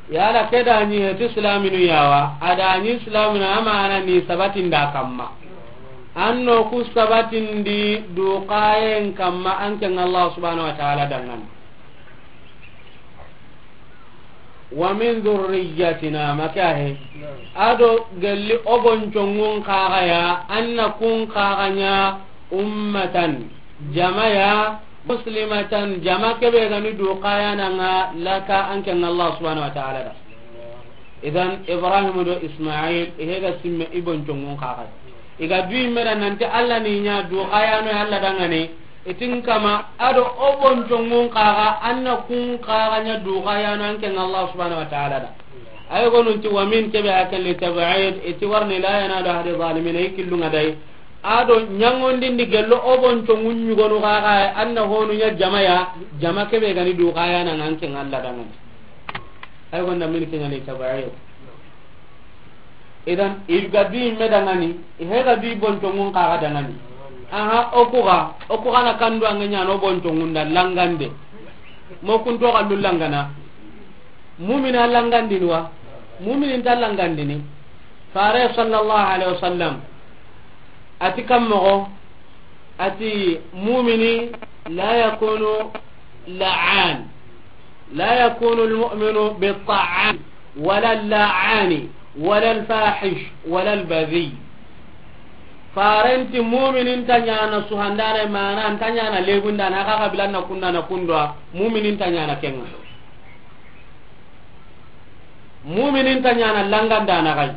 Yala ke da ɲi heti silaminu yawa, a da ɲi silaminu amana ni sabatin da kamma. An na ku sabatindi duxayen kamma an ken Allah subhanahu wa ta'ala danŋa ni. Wa min dhurriyyatina, ma ke ya he. A do gelli o bonconŋun xa ga ya, an na kun xa ga ɲa ummatan, jama ya, muslimatan, jama ke be ga ni duxayananŋa, laka, an ken Allah subhanahu wa ta'ala da. Idan, Ibrahim do Ismail, i he ga simme i bonconŋun xa ga ya. I ga du i me da nanti Allah ni ɲa duxayano ya Allah danŋa ni, i ti n kama, a do o bonconŋun xa ga, an na kun xa ga ɲa duxayano an ken Allah subhanahu wa ta'ala da. Ay gonun ti wa min ke be a ken li tab'id, i ti wa ri ni la yanalu ahdi zalimin, i killunŋa day. A do ɲaŋondindi gello o bonconŋun ɲugonu xa ga, an na honu ɲa jama ya, jama ke be ga ni duxayananŋa an ken Allah danŋa ni. Ay gonda min ke ɲa li tab'id. Idan, i ga du i me danŋa ni, i he ga du i bonconŋun xa ga danŋa ni. Aha, o ku ga, o ku ga na kandu an ga ɲa no bonconŋun da langande. Mo kun to ga lu langana. Mumina langandini wa? Mumini nta langandini. Fare sallallahu alaihi wasallam a ti kan moxo, a ti, mumini la yakunu la'an, la yakunu almu'minu bitta'an, wala la'ani, wala alfahish, wala albadhi. Faren ti mumini nta ɲana suhandana, mana nta ɲana legundana, xa xa bilanna kundana kundwa, mumini nta ɲana kenŋa. Mumini nta ɲana langandana xa yi.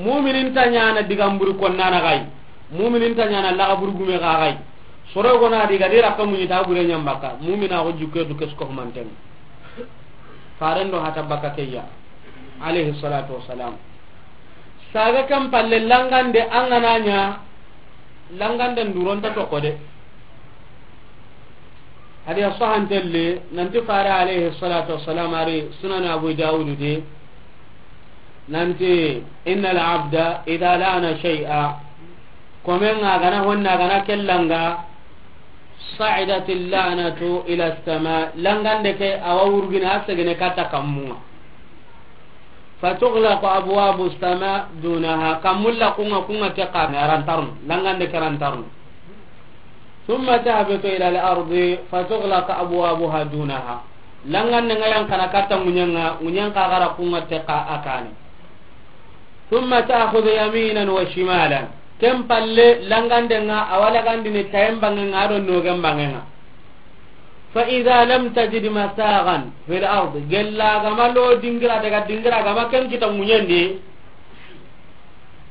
Mumini nta ɲana digamburi konnana xa yi. Mumini nta ɲana laxaburu gume xa xa yi. Soro gona diga dira ka muɲi ta bure ɲa n baka. Mumina ko jukke du kesko manten. Faren do hata baka ke ya. Alayhi salatu wassalam. Saga kan palle langande an ga na ɲa, langande nduron ta to ko de. Hadi a sahantelle, nanti fare alayhi salatu wassalam, a ri Sunan Abu Dawud de, nanti, inna al abda idha la'ana shay'a, komen ŋa a ga na honna, a ga na kellanga, sa'idat al la'natu ila as-sama, langande ke a wa wurgina a segene katta kammunŋa. Fatughlaqu abwabu as-sama dunaha, kammu laqqunŋa kunŋa teqa, a rantarnu, langande ke rantarnu. Thumma tahbitu ila al-ardi fatughlaqu abwabuha dunaha. Langande ŋa yan kana katta ŋuɲenŋa, ŋuɲen xa ga ra kunŋa teqa a kane. Thumma ta'khudhu yaminan wa shimalan. Ken palle langande ŋa a wa lagandini tayen banŋen ŋa a do nogen banŋen ŋa. Fa idha lam tajid masaghan fil ard, gella ga ma lo dingira daga dingira ga ma ken kita ŋuɲen di.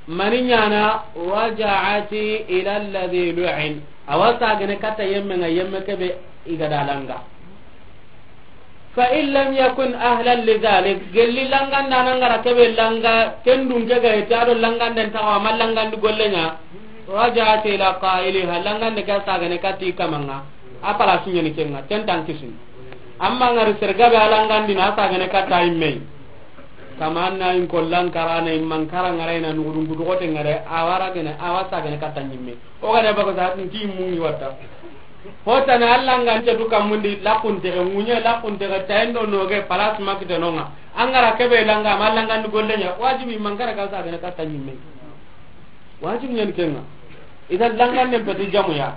Mani ɲana? Raja'ati ila alladhi lu'in. A wa sagene katta yemme ŋa, yemme ke be i ga da langa. Fa in lam yakun ahlan li dhalik, gelli langandana ŋa ra ke be langa, ken dun ke ga ite a do langanden ta wa ma langandi golle ɲa. Raja'ati ila qa'iliha, langande ke sagene katta i kamanŋa. A palasu ɲani kenŋa, ken tan kisini. Amma ŋa ri sergabe a langandina, a sagene katta i me. Kama an na in kollan karana, in man kara ŋa ra, i na nugudun kutugote ŋa ra, a wa ra gene, a wa sagene katta ɲimme. O ga ne bako sa, nti mungi watta. Hotana a langante du kammundi, lakunte ke ŋuɲe, lakunte ke tayendo noge, palas makite nonga. An ga ra ke be langa, ma langandi golle ɲa, wajibi man kara ka sagene katta ɲimme. Wajibi ɲani kenŋa. Idan langanden peti jamuya.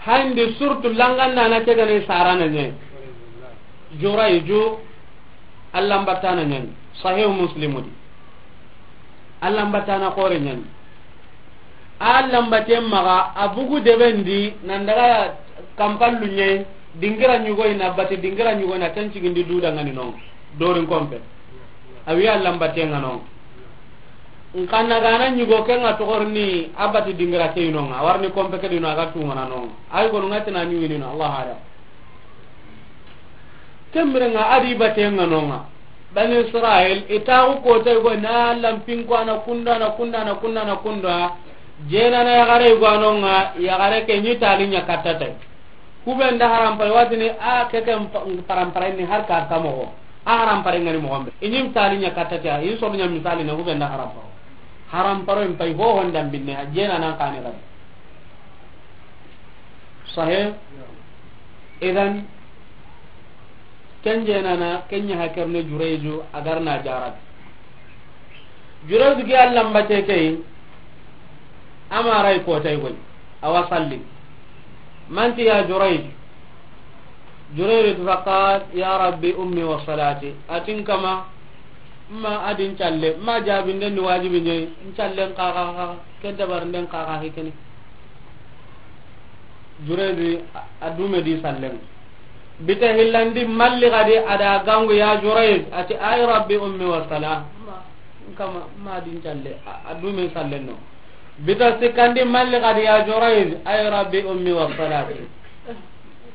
Hande surtout langandana ke ga ni sarana ɲe. Jurayju, a lambatana ɲani. Sahih Muslimu di. A lambatana xore ɲani. A lambate maxa, a bugu deben di, nan daga kampallu ɲe, dingira ɲugoy na bate, dingira ɲugoy na ken cigindi du dangani non. Dorin kompe. A wi a lambatenŋa non. Nkanna gana ɲigo ke ŋa toxorni a bati dingira ke inonŋa, a warni kompe ke dino a ga tungana nonŋa. Ay gonu ŋa tina ɲuwinino, Allah hada. Kemmirenŋa a di batenŋa nonŋa. Bani Israel, i taxu kotay go na lampinko ana kunda, ana kunda, ana kunda, ana kunda. Jenana yaxare go anonŋa, yaxare ke ɲi tali ɲa kattatay. Kuben da harampare watini a keke parampare ni har ka kamoxo. A harampare ŋani moxombe. I ɲi misali ɲa kattati a, i soru ɲa misali na kuben da haramparo. Haramparo in pay ho honda binne, a jena nan kani gadi. Sahe? Idan, ken jenana, ken ɲa hakerne Jurayju, a garna jarati. Jurayju gi a lambate key, A ma ray ko tay goy. Awa salli. Manti ya Jurayj. Jurayj ti faqal: "Ya Rabbi, ummi wa salati." A ti n kama, ma a di n calle, ma jabinden ni wajibi ɲa yi, n callen kaxa, ken dabarinden kaxa hikini. Jurayj a dume di sallen. Bita hillandi malli gadi a da gangu ya Jurayj, a ti: "Ay Rabbi, ummi wa sala." Ma, n kama, ma di n calle, a, a dume sallen no. Bita sikkandi malli gadi ya Jurayj: "Ay Rabbi, ummi wa salati."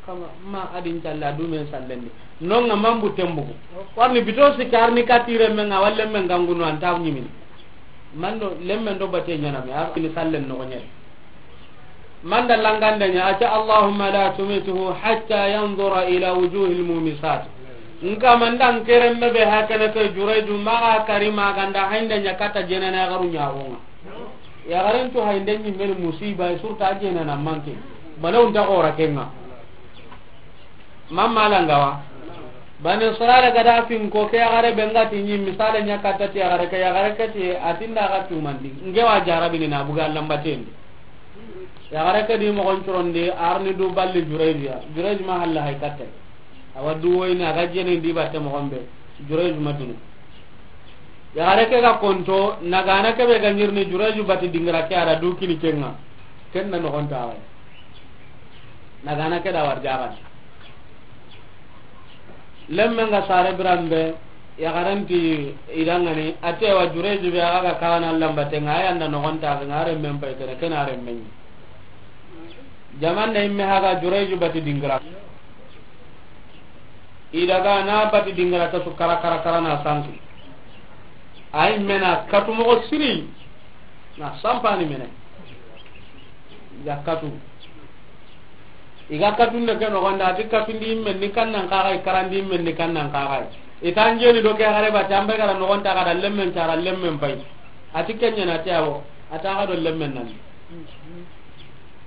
Kama, ma a di n calle, a dume sallen di. Non ŋa mambu tembugu. Warni bito sikkarni katire menga, walle men gangunu anta ɲimini. Mando, lemmen do bate ɲaname, a ni sallen no ɲere. Manda langande ɲa, a ti: "Allahumma la tumituhu hatta yanzura ila wujuhil mumisat." N kama, nda n keremme be hakene ke Jurayju, maxa kari maganda haynde ɲa kata jenana yaxaru ɲaxonga. Yaxaren tu haynde ɲimmeni musiba, surta jenana manke. Balaw nta xora kenga. Mamma langawa. Bani Israila gada fin ko ke yaxare be ngati ɲi misale ɲa katta ti yaxare ke, yaxare ke ti a tinda ga tumandi. Nge wa jarabini na buga lambatendi. Yaxare ke di moxon curondi, arni du balli Jurayju ya. Jurayju ma halla hay katta. Awa du woyni a ga jeni ndi batte moxon be. Jurayju ma dunu. Yaxare ke ga konto, nagana ke be ga ɲirni Jurayju bati dingira ke, a da du kini kenga. Ken na noxon tawa. Nagana ke da war jaxan. Lemmen ga sare biran be, yaxaren ti i dangani, a ti wa Jurayju be a ga kana lambatenga, a yanda noxon tawa, a remmen pay kene, ken a remmen. Jaman da imme haga Jurayju bati dingira. I daga na bati dingira ta su kara kara kara na sanki. Ay mena katu moxo siri. Na sampani mene. I ga katu. I ga katu ne ke noxon da, a ti katu ndi men ni kannan kaxay, karandi men ni kannan kaxay. I tan jeni do ke xare ba tambe gara noxon ta ga da lemmen cara lemmen pay. A ti kenya na ti awo. A ta ga do lemmen nan.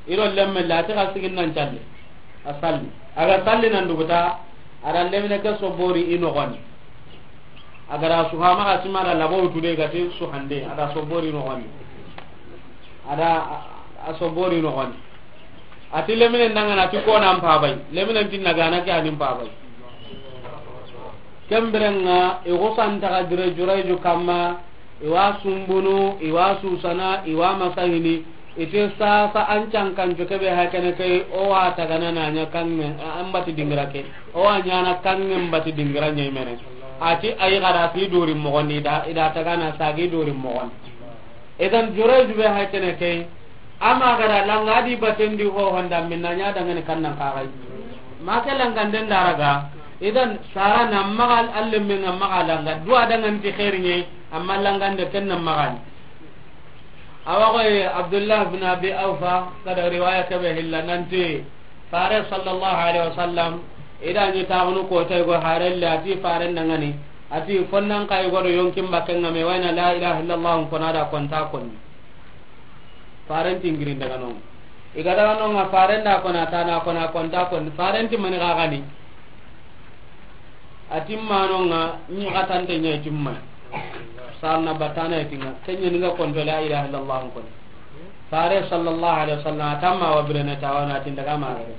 I do lemmen la, a ti xa sigin nan calle. A salli. A ga salli nan duguta, a da lemine ke sobori i noxon di. A ga da suhama ga sima da labo wutu de ga ti suhande, a da sobori i noxon di. A da a, a sobori i noxon di. A ti lemine ndangana ti kona mpabay. Lemine ti nagana ke ani mpabay. Kembirenga, i xusanta ga dire Jurayju kamma, i wa sumbunu, i wa susana, i wa masahini, i ti sasa an cankanco kebe hakene ke, o wa tagana na ɲa kanŋe, an bati dingira ke, o wa ɲana kanŋe bati dingira ɲemene. A ti ay gara ti dori moxon di, i da, i da tagana sagi dori moxon di. Idan Jurayju be hakene ke, ama gara langa di batendi ho honda minna ɲa dangani kannan kaxay. Ma ke langanden daraga. Idan sara na maxa alle menga maxa langa. Dua danganti xeeri ɲe, amma langande ken na maxani. Awa xoy Abdullah bin Abi Awfa, kada riwaya kebe hilla nanti, Fare sallallahu alaihi wasallam, i da ɲi taxunu kotay go harelle, a ti Faren dangani, a ti fonnan kay go do yonkin bakke nga me wayna la ilaha illallah, kona da konta konni. Faren ti n girin daga non. I ga daga non nga Faren da kona tana kona konta konni. Faren ti mani gagani. A timmanonga, ɲi xatante ɲa timmay. Sarna batana tinga, kenya ninga konto la ilaha illallah kon. Fare sallallahu alaihi wasallam, a tamma wa birene tawana tin daga magare.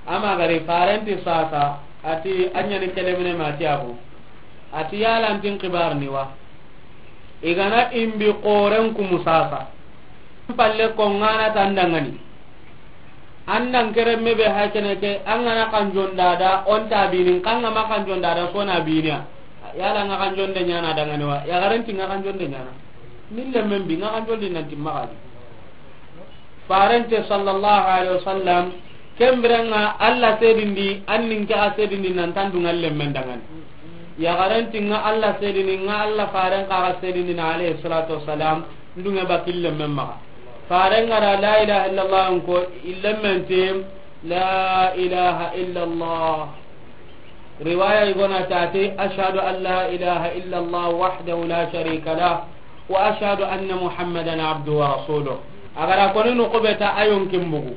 Ama gari Faren ti sasa, a ti a ɲa ni kelemine ma ti abu. A ti yala antin kibar ni wa. I gana imbi xoren kumu sasa. Palle ko ngana tandangani. Andan keremme be hakene ke, an gana kanjon dada, on ta binin, kan ga ma kanjon dada, so na biniya. Yala nga kanjon de ɲana dangani wa, ya garanti nga kanjon de ɲana. Mille men bi, nga kanjon de nanti magadi. Farente sallallahu alaihi wasallam, kembirenga Allah sedindi, annin ke a sedindi nan tandunga lemmen dangani. Ya garanti nga Allah sedini, nga Allah faren ka sedini na alaihi salatu wassalam, ndunge bakille men maga. Faren gara la ilaha illallah ko, illemmen te, la ilaha illallah. Riwaya igona tati, ashhadu an la ilaha illallah wahdahu la sharika lah, wa ashhadu anna Muhammadan abduhu wa rasuluh. Agara koni no kubeta ayon kimbugu.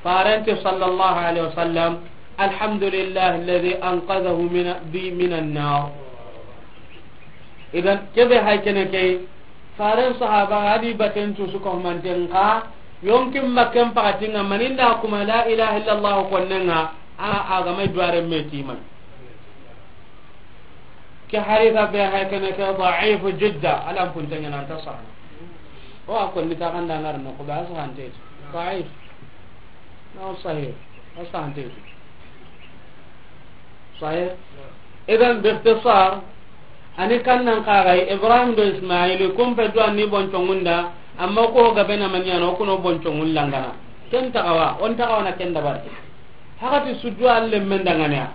Farente sallallahu alaihi wasallam, alhamdulillah alladhi anqadhahu min, bi, minan nar. Idan kebe hay kene kay, Faren sahaba hadi baten tu su ko manten ka, yonkin makken pakatinga maninda kuma la ilaha illallah konnenga, a, a ga mai duwaren me timai. Ke hadisa be hay kene ke da'if jidda, alam puntanya nan ta sahih. O a konni ta kanda ngar no ko ba sahante. Da'if. No sahih. Sahante. Sahih. Idan, bi ikhtisar, ani kannan kagai, Ibrahim do Ismail, kumpe do anni boncongunda, amma ko gabe na manyano kuno boncongun langana. Ken tagawa, on tagawa na ken dabar. Hakati suddu alle men dangane ya.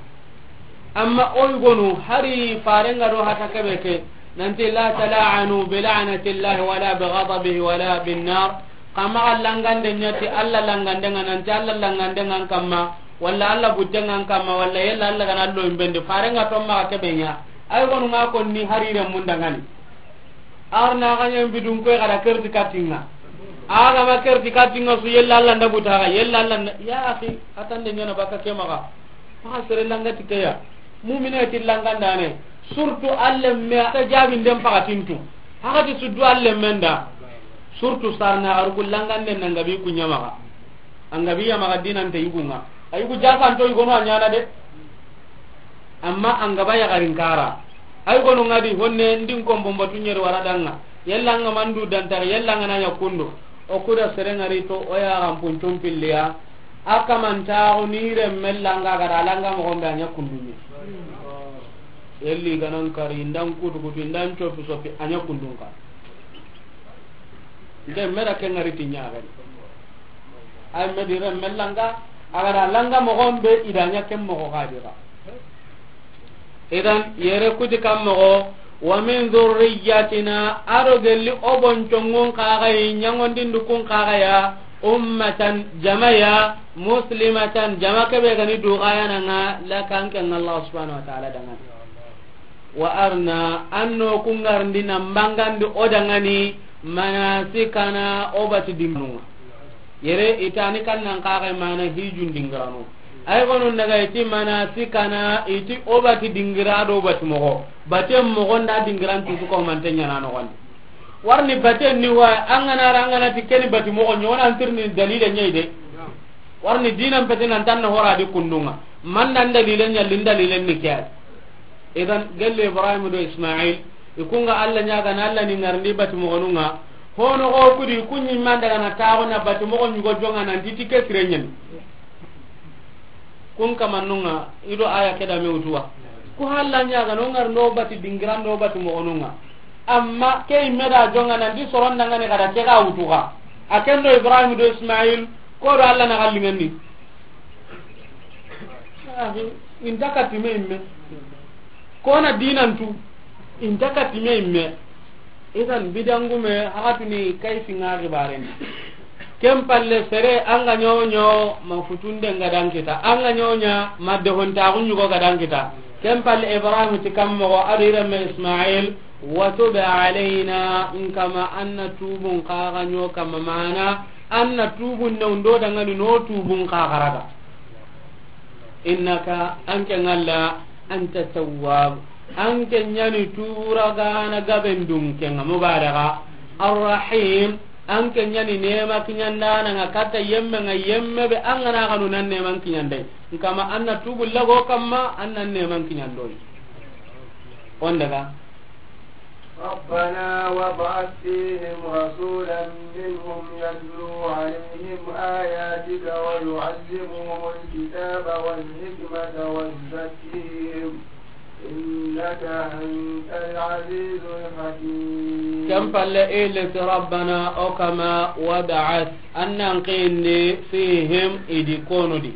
Amma oy gonu, hari farenga do hata kebe ke, nanti la tala'anu bi la'natillahi wala bi ghadabihi wala bin nar. Kama langande nyati Allah langande nga, nanti Allah langande nga kamma, wala Allah bujje nga kamma, wala yella Allah gana lo imbende, farenga to ma kebe nya. Ay gonu nga konni harire mundangani. Arna ganya bidun ko kada kerti katinga. Aga ma kerti katinga su yella Allah nda butaga, yella Allah nda, ya akhi, atande nyana baka kemaga. Maka sere langati keya. Mumina ti langandane. Surtout alle me ta jabi ndem pakatintu. Hakati suddu alle menda. Surtout sarna arku langande nangabi kunyamaga. Angabi yamaga dinante yugunga. Ayugu jakanto yugono anyana de. Amma angaba yagarin kara. Ay gonu ngadi honne ndin kombo mbatu nyeri waradanga. Yella nga mandu dantari, yella nga nanya kundu. O kuda serengari to, o ya rampun tumpilliya. A kamantaxu ni renme langa, a ga da langa moxon be a ña kundunñe. Yelli i ga nan kari, i ndan kutu kutu, i ndan copi sopi, a ña kundun ka. Nke me da ke ŋari ti ñaxen. Ay me di renme langa, a ga da langa moxon be, i da ña ken moxo xa di xa. Idan, yere kuti kan moxo, wa min dhurriyyatina, a do gelli o boncongun kaxayi, ñaŋondindu kun kaxaya, ummatan, jamaya, muslimatan, jama kebe gani duxayananga, laka, an ken Allah subhanahu wa ta'ala dangani. Wa arina, an no kungarndi nan bangandi o dangani, manasikana, o bati dinginunga. Yere itani kan nan kaxe mana hijun dingirano. Ay gonun daga iti manasikana, iti o bati dingira do bati moxo. Bate moxo nda dingiran tutu ko mante ñana noxondi. Warni bate ni wa, an gana ra, an gana ti keni bati moxo ñonan tirni dalile ñayi de. Warni dinan pete nan tan na hora di kundunga. Man nan dalile ñalli, dalilen ni ke. Idan, gelle Ibrahim do Ismail, i kunga Allah ñaga na Allah ni ŋarndi bati moxonunga. Hono xo kudi, ku ñi man daga na taxo na bati moxo ñugo jonga nan ti ti ke sire ñani. Kun kamannunga, i do aya ke da me wutuwa. Ku halla ñaga no ŋarndo bati dingiran do bati moxonunga. Amma ke imme da jonga nan ti soron dangani kada ke ga wutuga. A ken do Ibrahim do Ismail, ko do Allah na gallinganni. Ahi, inta katime imme. Kona dinantu, inta katime imme. Idan bidangume hakatuni kay singa gibaren. Ken palle sere an ga ñoño ma futunde nga dan kita. An ga ñoña ma dehontaxu ñugo ga dan kita. Ken palle Ibrahim ti kammoxo a do i renme Ismail. Wa tub alayna, n kama an na tubun kaxa ño kama mana, an na tubun ne undo dangani no tubun kaxaraga. Innaka, an ke ŋalla, anta tawwab, an ke ñani turagana gaben dunke nga mubalaga. Arrahim, an ke ñani nema kiñandana nga katta yemme nga yemme be an gana kanu nan neman kiñandai. N kama an na tubu lago kamma an nan neman kiñandoi. On daga. ربنا وابعث فيهم رسولا منهم يتلو عليهم آياتك ويعلمهم الكتاب والحكمة ويزكيهم إنك أنت العزيز الحكيم. Ken palle i leti Rabbana o kama wab'ath, an nan kindi fihim i di konu di.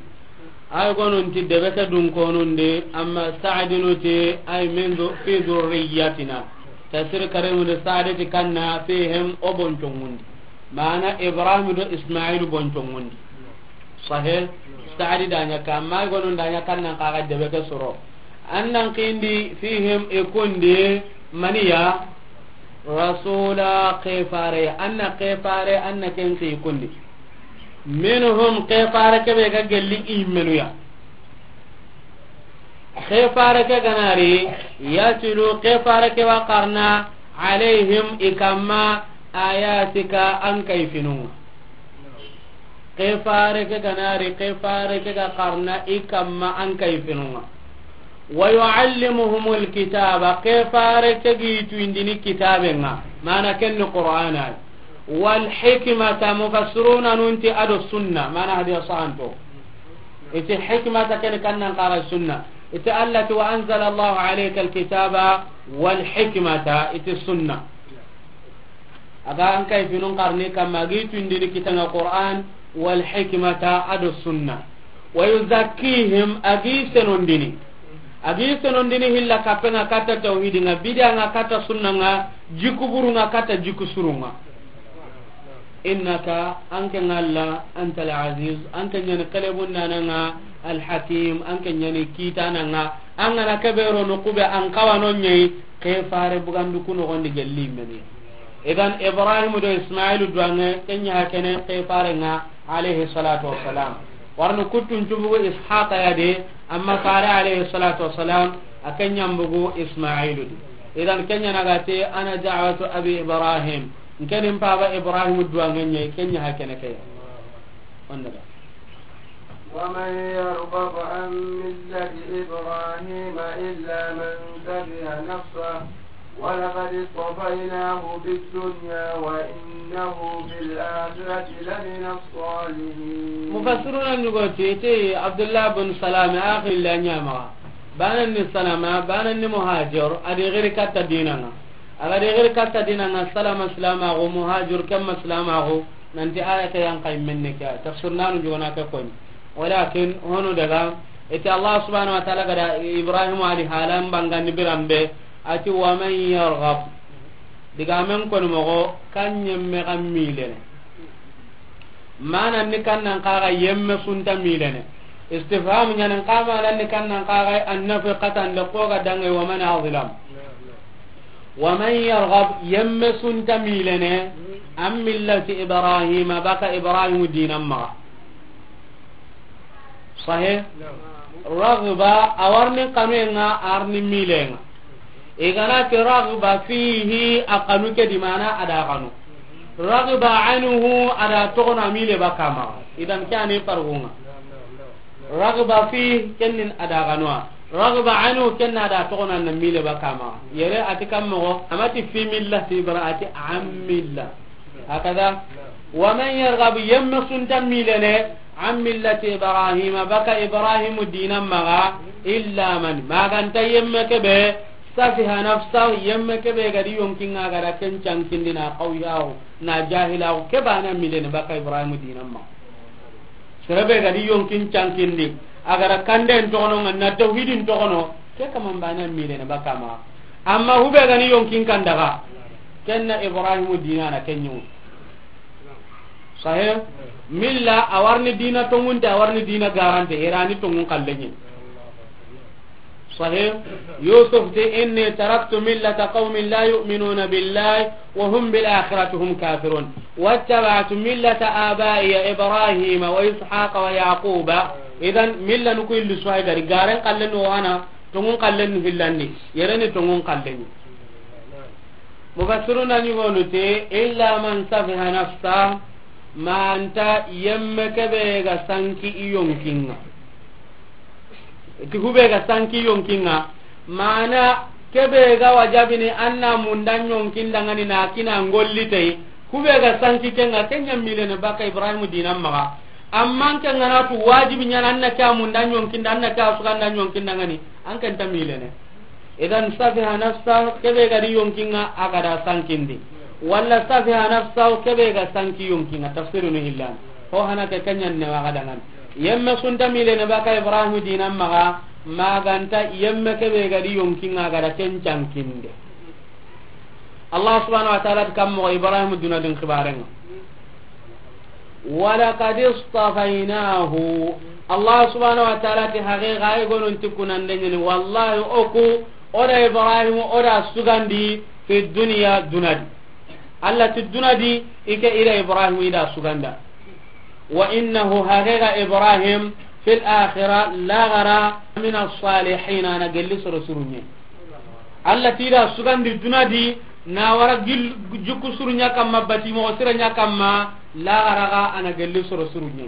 Ay gonun ti debe ke dun konun di, amma Sa'dinu ti ay min du-, fi dhurriyyatina. Tafsir Karimu di Sa'di ti kanna fihim o boncongun di. Mana Ibrahim do Ismail boncongun di. Sahih, Sa'di da ña ka, amma ay gonun da ña kan nan kaga debe ke soro. An nan kindi fihim i kundi maniya rasula kefare, an na kefare, an na ken ki kundi. Minhum, kefare kebe ga gelli i menuya. Kefare ke ganari, yatlu, kefare ke wa karna, Alayhim, i kamma, ayatika, an kayfinun ŋa. Ke fare ke ga na ri, ke fare ke ga xarana i kamma an kayfinun ŋa. Wa yuallimuhumul kitaba, ke fare ke ga i tuyindini kitaben ŋa, mana ken ni Qur'ana. Wal hikmata, mufassiruna nun ti a do sunna, mana hadiya sahanto. I ti hikmata ken ni kannan xara sunna. I ti Allah ti wa anzala Allahu alayka alkitaba wal hikmata, i ti sunna. A ga an kayfinun xarana i kamma, a ga i tuyindini kitaben ŋa Qur'an, wal hikmata, a do sunna. Wa yuzakkihim, a ga i senondini. A ga i senondini hilla kappen ŋa katta tawhidin ŋa, bidan ŋa katta sunnan ŋa, jikku burun ŋa katta jikku surun ŋa. Innaka, an ke ŋa Allah, antal aziz, an ke ɲa ni kelebundanan ŋa, al hakim, an ke ɲa ni kitanan ŋa. An ga na ke be ro noqu be, an xawa no ɲa yi, ke fare bugandi ku noxondi gelli meni. Idan Ibrahim do Ismailu duwange, ken ɲa hakene ke fare ŋa, alayhi salatu wassalam. Warni kuttun cubugu Ishaqa ya de, amma fare alayhi salatu wassalam, a ken ɲa mbugu Ismailu di. Idan ken ɲa na ga ti, ana da'watu abi Ibrahim. N ke ni n paba Ibrahim duwange ɲa yi, ken ɲa hakene ke ya. Onda da. ومن يرغب عن ملة إبراهيم إلا من سفه نفسه ولقد اصطفيناه في الدنيا وإنه في الآخرة لمن الصالحين. Mufassiruna ɲi go ti, ti Abdullah bin Salam, axi la ɲa ma. Banan ni Salama, banan ni Muhajir, a di giri katta dinan ŋa. A ga di giri katta dinan ŋa, Salama silamaxu, Muhajir ken ma silamaxu, nanti aya ke yan xa yi menne ke ya. Tafsir nanu jogona ke koni. Walakin, hono daga, i ti Allah subhanahu wa ta'ala ga da Ibrahim a di halan bangandi biran be, a ti, "Wa man yarghab." Digamen koni moxo, kan ɲemme xa milene. Mana ni kannan xaxa yemme sunta milene. Istifham ɲanen xa mana ni kannan xaxa annafi xatande ko ga dange wa man azlam. Wa man yarghab, yemme sunta milene, an millati Ibrahima, baka Ibrahimu dinan maxa. Sahe? Raghba, a warni kanuyen ŋa, a warni milen ŋa. I ga na ti raghba fihi, a kanu ke di mana a da kanu. Raghba anhu, a da toxono a mile baka maxa. Idan ke ani farqun ŋa. Raghba fihi, ken ni a da kanu. Raghba anhu, ken na da toxono a na mile baka maxa. Yere a ti kan moxo, a ma ti fi millati Ibra-, a ti an milla. Hakada. Wa man yarghab, yemme sunta milene, an millati Ibrahima, baka Ibrahimu dinan maxa, illa man, ma ga nta yemme ke be, safiha nafsa, yemme ke be ga di yonkin ŋa ga da ken cankindi na xawiyaxu, na jahilaxu, ke bana milene baka Ibrahimu dinan maxa. Sere be ga di yonkin cankindi, a ga da kanden toxono ŋa, na tawhidin toxono, ke kaman bana milene baka maxa. Amma hube ga ni yonkin kandaga, ken na Ibrahimu dinana ken ɲi. Sahe? Milla, a warni dina tongunte, a warni dina garante, i ra ni tongun kalleɲi. Sahe? Yusuf ti, "Inni taraktu millata qawmin la yu'minuna billahi wa hum bil akhirati hum kafirun. Wattaba'tu millata abaiya Ibrahima wa Ishaqa wa Yaquba." Idan, milla nuku illi suwa gari, garen kallen no wana, tongun kallen ni hillandi, yere ni tongun kallen ni. Mufassiruna ɲi gonu te, illa man safiha nafsa, ma nta yemme ke be ga sanki i yonkin ŋa. Ti hube ga sanki yonkin ŋa, mana ke be ga wajabini an na munda yonkin dangani na kina ngolli te, hube ga sanki ken ŋa, ken ɲa milene baka Ibrahimu dinan maxa. Amma ken ga na tu wajibi ɲa na an na ke a munda yonkin da, an na ke a suganda yonkin dangani, an ken ta milene. Idan safiha nafsa, ke be ga di yonkin ŋa a ga da sankindi. Walla safiha nafsa, ke be ga sanki yonkin ŋa, tafsirunu hillan. Ho hana ke ken ɲa ne wa ga dangan. Yemme sunta milene baka Ibrahimu dinan maxa, ma ga nta yemme ke be ga di yonkin ŋa a ga da ken cankinde. Allah subhanahu wa ta'ala ti kan moxo Ibrahimu duna din xibaren ŋa. Walaqad istafaynahu. Allah subhanahu wa ta'ala ti haqiqa ay gonon ti kunande ɲini. Wallahi oku, o da Ibrahimu, o da sugandi fi dunya dunadi. Allah ti dunadi, i ke i da Ibrahimu, i da suganda. Wa innahu, haqiqa Ibrahim, fil akhirah, laxara, min as-salihin, a na gelli soro surunye. Allah ti da sugandi dunadi, Na wara gil-, jikku suru ɲa kamma, bati moxo sira ɲa kamma, laxara ga a na gelli soro suru ɲa.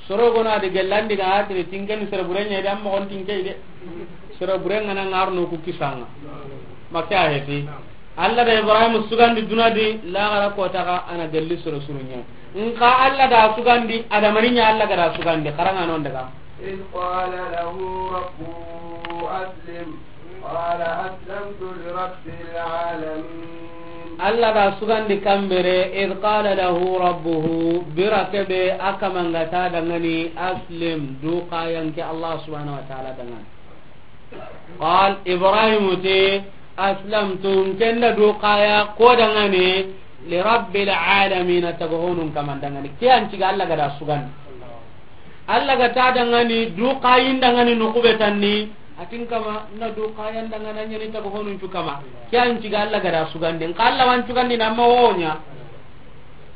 Soro gono a di gellandi ga a tini tinke ni sere bure ɲa de, an moxon tinke de. Sere bure ŋa na ŋarno ku kisanga. Make a heti. Alla da Ibrahim sugandi duna di, laxara kota ga a na gelli soro suru ɲa. Nka Alla da sugandi, adamani ɲa Alla ga da sugandi, xara ŋa non daga. إذ قال له ربه أسلم، قال أسلمت لرب العالمين. Alla da sugandi kambere, إذ قال له ربه, bira kebe a kamanga ta dangani, أسلم, du kayanke Allah subhanahu wa ta'ala dangani. قال, Ibrahim ti, أسلمت, nkenda du kaya ko dangani, لرب العالمين, taga honun kaman dangani. Ke an ciga Alla ga da sugandi. Alla ga ta dangani, du kayin dangani no kube tanni. Atin kama, na du kayan dangana ɲani taga honun cu kama. Ke an ciga Alla ga da sugandi. Nka Alla wan cugandi na ma wonya.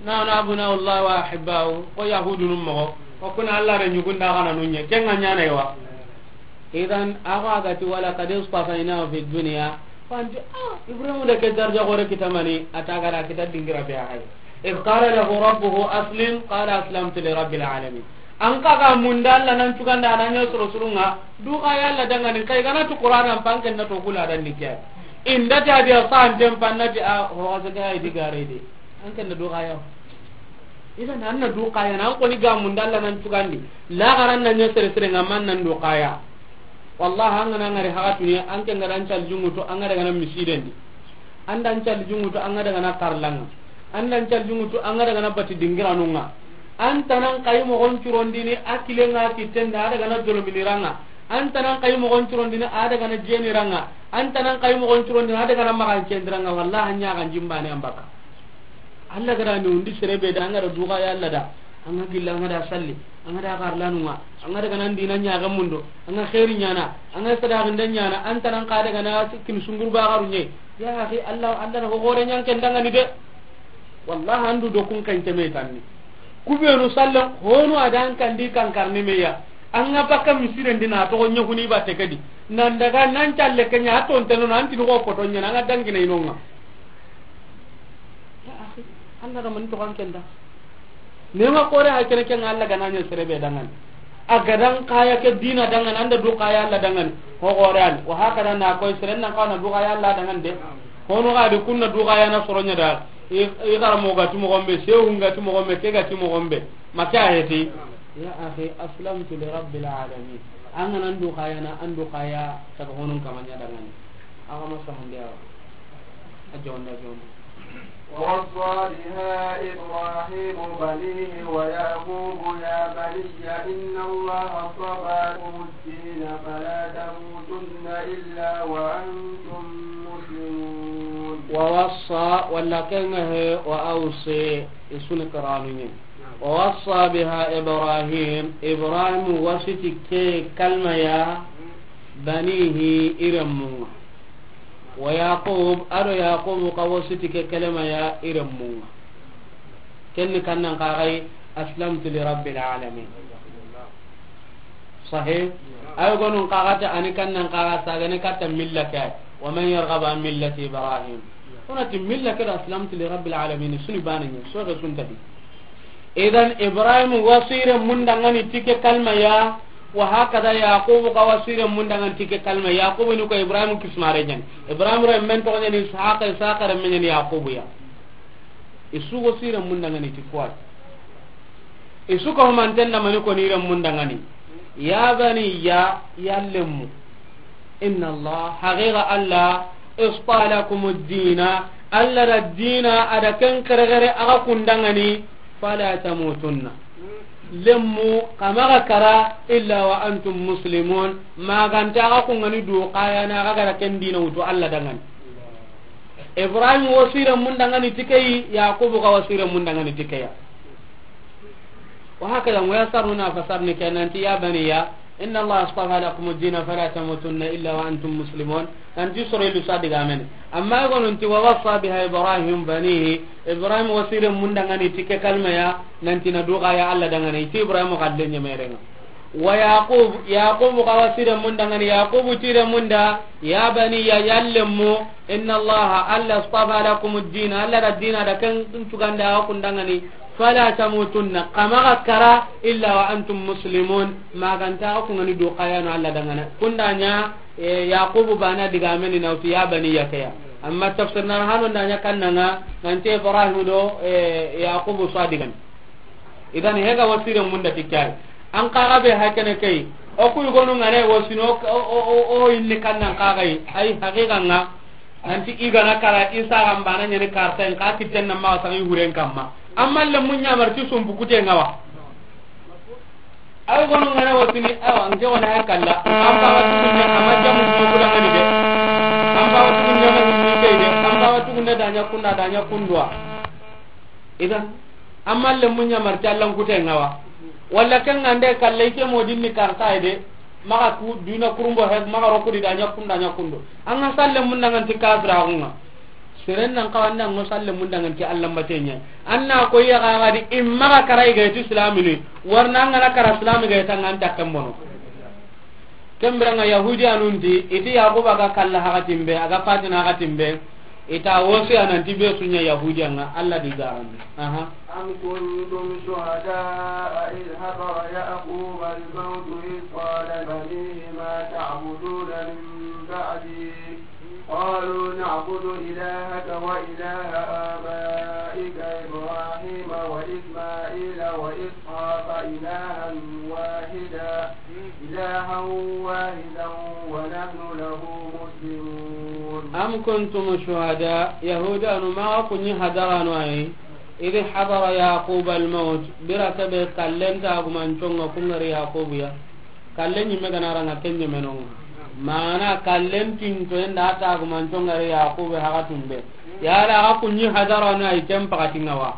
Na, na abuna Allah wa ahibbau. Ko Yahudunun moxo. Ko kuna Alla re ɲugunda kana nunye. Kenga ɲana yawa. Idan, awa gati ولقد اصطفيناه في الدنيا. Fanti, ah, Ibrahim da ke darja gore kitamani, a ta gara kita dingira be a hay. إذ قال له ربه أسلم، قال أسلمت لرب العالمين. An ka ga munda Alla nan cuganda a na ɲa soro surunga, du kaya Alla dangani, kai gana tu Qur'an an panken na to kula dan ni ke. Inda ta dia san tem pannati a ho ga ga di gare de. An ken da du kaya. Idan an na du kaya na an ko ni ga munda Alla nan cugandi. La garan na ɲa sere sere nga man nan du kaya. Wallahi, an ga na ngari haxatuni, an ke nga da an calli junŋutu, an ga daga na misidendi. An da an calli junŋutu, an ga daga na karlanga. An da an calli junŋutu, an ga daga na bati dingiranunga. An tanan kayi moxon curondini, a kilenga kitenda, a daga na dolominiranga. An tanan kayi moxon curondini, a daga na jeniranga. An tanan kayi moxon curondini, a daga na maxancendiranga. Wallahi, an ɲaxan jimbane an baka. Alla ga da ni undi sere be da, an ga da du kaya Alla da, an ga gilla, an ga da salli, an ga da karlanunga, an ga daga nan dina ɲaga mundo, an ga xeeri ɲana, an ga sadaxinde ɲana, an tanan ka daga na sikkin sungurba garu ɲe. Ya axi, Alla, Alla na ho gore ɲan ken dangani de. Wallahi, an du do kun kan teme tanni. Kubenu sallen, honu a da an kandi kan karni meya. An ga baka misidendi na toxo ɲa huni batte kedi. Nan daga nan calle ke ɲa, a tonteno na, an tini ko poto ɲana, an ga dangina inonga. Ya axi, Alla da man to kan kenda. Nema kore ha kene ken Alla ga na ɲa sere be dangani. A ga dan kaya ke dina dangani, an da du kaya Alla dangani. Ho gore an. Wa haka da na koy sere nan ka na du kaya Alla dangani de. Hono ga di kunna du kaya na soro ɲa da. I, i garamo ga ti moxon be, sehun ga ti moxon be, ke ga ti moxon be. Make a heti. Ya axi, aslamtu li rabbil alamin. An ga nan du kaya na, an du kaya taga honun kama ɲa dangani. Awa ma samunde awa. A jonda, jonda. ووصى بها إبراهيم بنيه ويعقوب يا بني إن الله اصطفى لكم الدين فلا تموتن إلا وأنتم مسلمون. ووصى, walla kenga he, وأوصى, isuni karanu ɲe. ووصى بها إبراهيم, Ibrahim wasiti ke kalma ya, بنيه, i remmunga. ويعقوب, ado Yaqub ka wasiti ke kalma ya, i remmunga. Kenni kannan kaxay, أسلمت لرب العالمين. Sahih? Ay gonun kaxata ani kannan kaxa sagane katta milla ke ay. ومن يرغب عن ملة إبراهيم. Onati milla ke da أسلمت لرب العالمين, suni bane ɲe, soxe suntadi. Idan Ibrahim wasire mundangani tike kalma ya, wa hakada Yaqub ka wasire mundangani tike kalma. Yaqub ni ko Ibrahim kismare ɲan. Ibrahim re men to ɲani Ishaq, Ishaq re men ɲani Yaqub ya. Isu wasire mundangani tikuwa. Isu ko manten da mani ko ni re mundangani. يا بني, ya lemmu. إن الله, haqiqa Alla, اصطفى لكم الدين, Alla da dina a da ken keregere a ga kundangani, فلا تموتن. Lemmu, kamaga kara, إلا وأنتم مسلمون, maganta a ga kungani du kayana a ga gara ken dina wutu Alla dangani. Ibrahim wasire mundangani tikeyi, Yaqub ka wasire mundangani tikeya. وهكذا, moya saruna fasarni ke nanti, يا بني إن الله اصطفى لكم الدين فلا تموتن إلا وأنتم مسلمون. Nanti soro ilu sa diga mene. Amma gonunti, ووصى بها إبراهيم بنيه, Ibrahim wasire mundangani tike kalma ya, nanti na du kaya Alla dangani, iti Ibrahim ka lenye merenga. Wa Yaqub, Yaqub xa wa sire munda ŋa ni, Yaqub tire munda, ya baniya, ya lemu, inna Allah, Allah astafa lakum ad-din, Allah da dina da ken tuganda xa kunda ŋa ni, fala tamutunna, xa maxa kara, illa wa antum muslimun, ma ga nta xa ku ŋa ni do xa ya no Allah da ŋa na. Kunda ɲa, e, Yaqub bana diga meni na wuti ya baniya ke ya. Amma tafsir na hano nda ɲa kanna ŋa, nanti Ibrahim do, e, Yaqub so a digan. Idan hega wa sire munda ti kay. An kaga be hakene kay. O ku gonu ŋa ne wa sino o, o, o, o inni kannan kaga yi. Ay haqiqa ŋa. Nanti i ga na kara Isa ga mbana ɲani karta en ka kitten na ma sa yi huren kamma. Amma le munya marti sumbu kute ŋa wa. Ay gonu ŋa ne wa sini awa nke wona hay kalla. An ba wa tukunne amma jamu ko da ngani de. An ba wa tukunne ma ni kay de. An ba wa tukunne da ɲa kunda da ɲa kundwa. Idan, amma le munya marti Allan kute ŋa wa. Walla ken ŋa nde kalle ke mo dinni karta de. Maxa ku duna kurumbo he, maxa rokudi da ɲa kunda ɲa kundo. An ŋa salle munda ŋa nti kafira ŋa. Seren nan kawa nda ŋo salle munda ŋa nti Allan batenya. Anna ko ya ga di imma ga kara i ga ti islamini. Warna ŋa na kara islami ga ta ŋa nta kambono. Kembira ŋa Yahudiyanun ti, iti Yaquba ga kalla hakatin be, a ga fatina hakatin be, ita wosi a nanti be su ɲa Yahudiya ŋa, Allah di garandi. Aha. أم كنتم شهداء إذ حضر يعقوب الموت إذ قال لبنيه ما تعبدون من بعدي قالوا نعبد إلهك وإله آبائك إبراهيم وإسماعيل وإسحاق إلها واحدا إلها واحدا ونحن له مسلمون. أم كنتم شهداء، Yahudanu maxa ku ɲi hadaranu ayi, إذ حضر يعقوب الموت، bira ke be kallen tagumanconga ku ŋari Yaqubu ya. Kallen ɲimme ga na ra ŋa ken ɲemenonga. Mana kallen tinto en da tagumanconga ri Yaqubu haxatun be. Yala xa ku ɲi hadaranu ayi ken paxatinga wa.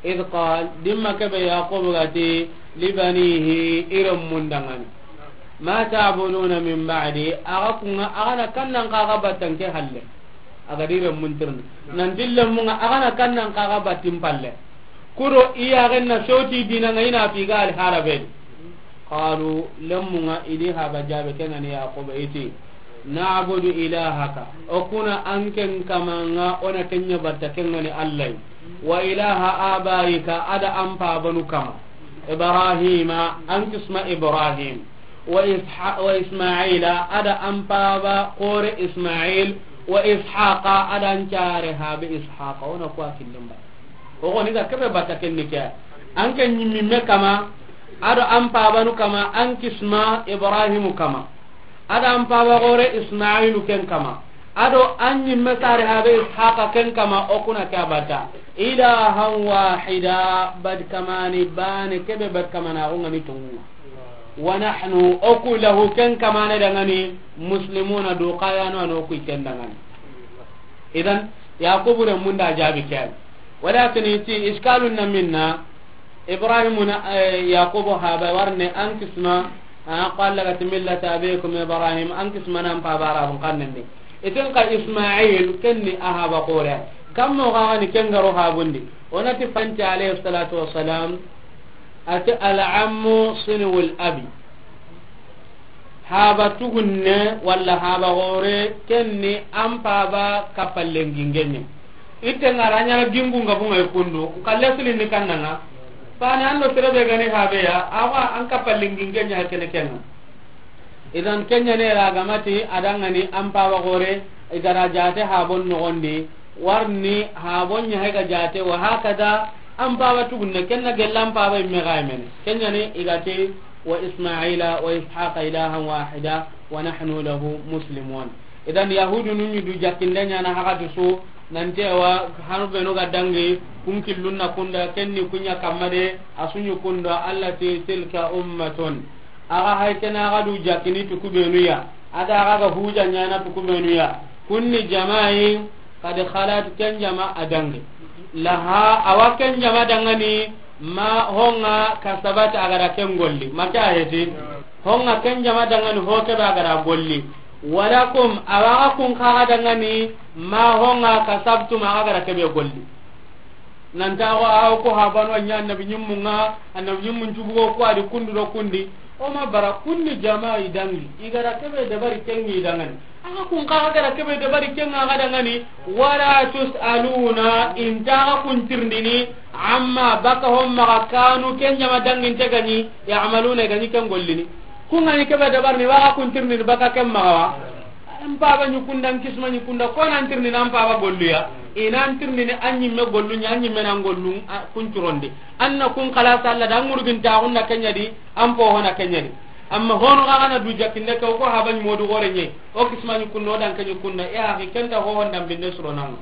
إذ قال، dimma ke be Yaqubu ga ti, لبنيه، i renmun danŋa ni. ما تعبدون من بعدي، axa ku ŋa, axa na kannan xa ga batta n ke halle. A ga di renmun tirni. Nanti lenmun ŋa, axa na kannan xa ga batta n palle. Ku do i ya ga na soti dina ŋa i na fi ga al haraben. قالوا، lenmun ŋa i di haba jabe ke ŋa ni Yaqubu i ti. نعبد إلهك، o ku na an ken kama ŋa, o na ken ɲa batta ke ŋa ni Allah. وإله آبائك، a da an pabanu kama. إبراهيم، an kisma Ibrahim. وإسح-، وإسماعيل، a da an paba xore Ismail. وإسحاق، a da an care habe Ishaq. O na ku a killen ba. O xo ni ga ke be batta ken ni ke. An ken ɲimmi me kama, a do an pabanu kama, an kisma Ibrahimu kama. A da an paba xore Ismailu ken kama. A do an ɲimme sare habe Ishaqa ken kama, o ku na ke a batta. إلها واحدا، bat kamani bane ke be bat kamana ko ŋa ni tonŋu. ونحن، o ku, له ken kamane danŋa ni, مسلمون do xa ya no, a no ku ken danŋa ni. Idan, Yaqubu renmun da jabi ke. Walakin i ti, إشكال na minna, Ibrahimu na, eh, Yaqubu haba warne an kisma, a, قال لك ملة أبيكم إبراهيم، an kisma nan paba Arabun xannen di. I ti n xa Ismail, ken ni a haba xore. Kammo xa ni ken ga ro habundi. O na ti fanti alayhi salatu wassalam, a ti العم صنو الأب. Haba tugunne walla haba xore, ken ni an paba kapallen gingenye. Itte ŋa ra ɲa na gingu nga bunga i kundu, kalle silin ni kanna ŋa. Fane an do sere be ga ni habe ya, awa an kapallen gingenye ha kene ken ŋa. Idan ken ɲa ne ra ga ma ti a danŋa ni an paba xore, i ga ra jate habon noxon di, warni habon ɲa hay ga jate, wa hakada, an paba tugunne, ken na gella an paba imme ga i mene. Ken ɲa ni i ga ti, وإسماعيل وإسحاق إلها واحدا ونحن له مسلمون. Idan Yahudunu ɲi du jakkinde ɲa na haxati su, nanti awa hanu benu ga dangi, kun killun na kunda, ken ni ku ɲa kamma de, a su ɲi kunda, Allah ti, تلك أمة. Axa hay ken axa du jakkini ti ku benu ya. A da axa ga huja ɲa na ti ku benu ya. Kun ni jama'i, قد خلت، ken jama a dangi. لها، awa ken jama danŋa ni, ma honga كسبت a ga da ken golli. Ma ke a heti? Honga ken jama danŋa ni ho ke be a ga da golli. ولكم، awa axa kun xa ga danŋa ni, ma honga كسبتم axa ga da ke be golli. Nan ta xo a ko habanu a ɲa annabi ɲimmun ŋa, annabi ɲimmun cubugo ko a di kundu do kundi. O ma bara kunni jama i dangi, i ga ra kebe dabari ken ŋi dangani. Aga kun xa ga ra kebe dabari ken ŋa ga dangani, wala tusaluna, i nta xa kun tirindini, amma baka hon maxa kanu ken jama danginte ga ɲi, yamaluna, i ga ɲi ken gollini. Kun ga ɲi kebe dabarini, wa xa kun tirindini baka ken maxa wa. An paba ɲi kunda, an kisma ɲi kunda, ko nan tirindini an paba gollu ya. I nan tirindini an ɲimme gollu ɲa, an ɲimme nan gollu, a, kun curondi. An na kun xalasa Alla da, an ŋurgintaxun na ken ɲa di, an poxo na ken ɲa di. Amma hono xa ga na du jakkinde ke, o ko haba ɲi modu gore ɲe, o kisma ɲi kunda, o dan ke ɲi kunda, e axi ken ta hohon dambinde suronanga.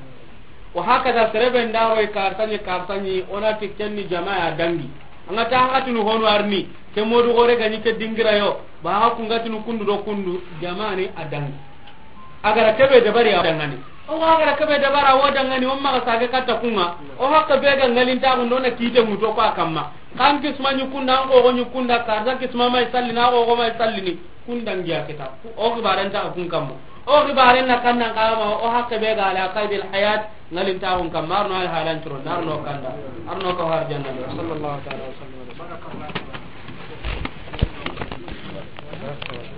Wa hakada, sere be nda roy karta ɲi, karta ɲi, o na ti ken ni jama ya dangi. An ga ta, an ga tunu hono arni, ke modu gore ga ɲi ke dingira yo, ba ga kun ga tunu kundu do kundu, jama ni a dangi. A ga ra kebe dabari a dangani. O ga ra kebe dabara wo dangani, o maxa sage katta kun ŋa. O hakke be ga ŋalintaxun do na kite muto ko a kamma. Kan kisma ɲi kunda, an xoxo ɲi kunda, karta kisma ma i sallini, a xoxo ma i sallini. Kun dangi ya kita. O xibaren ta kun kamma. O xibaren na kannan kama, o hakke be ga ala qaydil hayat, ŋalintaxun kamma. Arno al halan turo, arno kanda. Arno ka har janna. Sallallahu ta'ala wa sallam.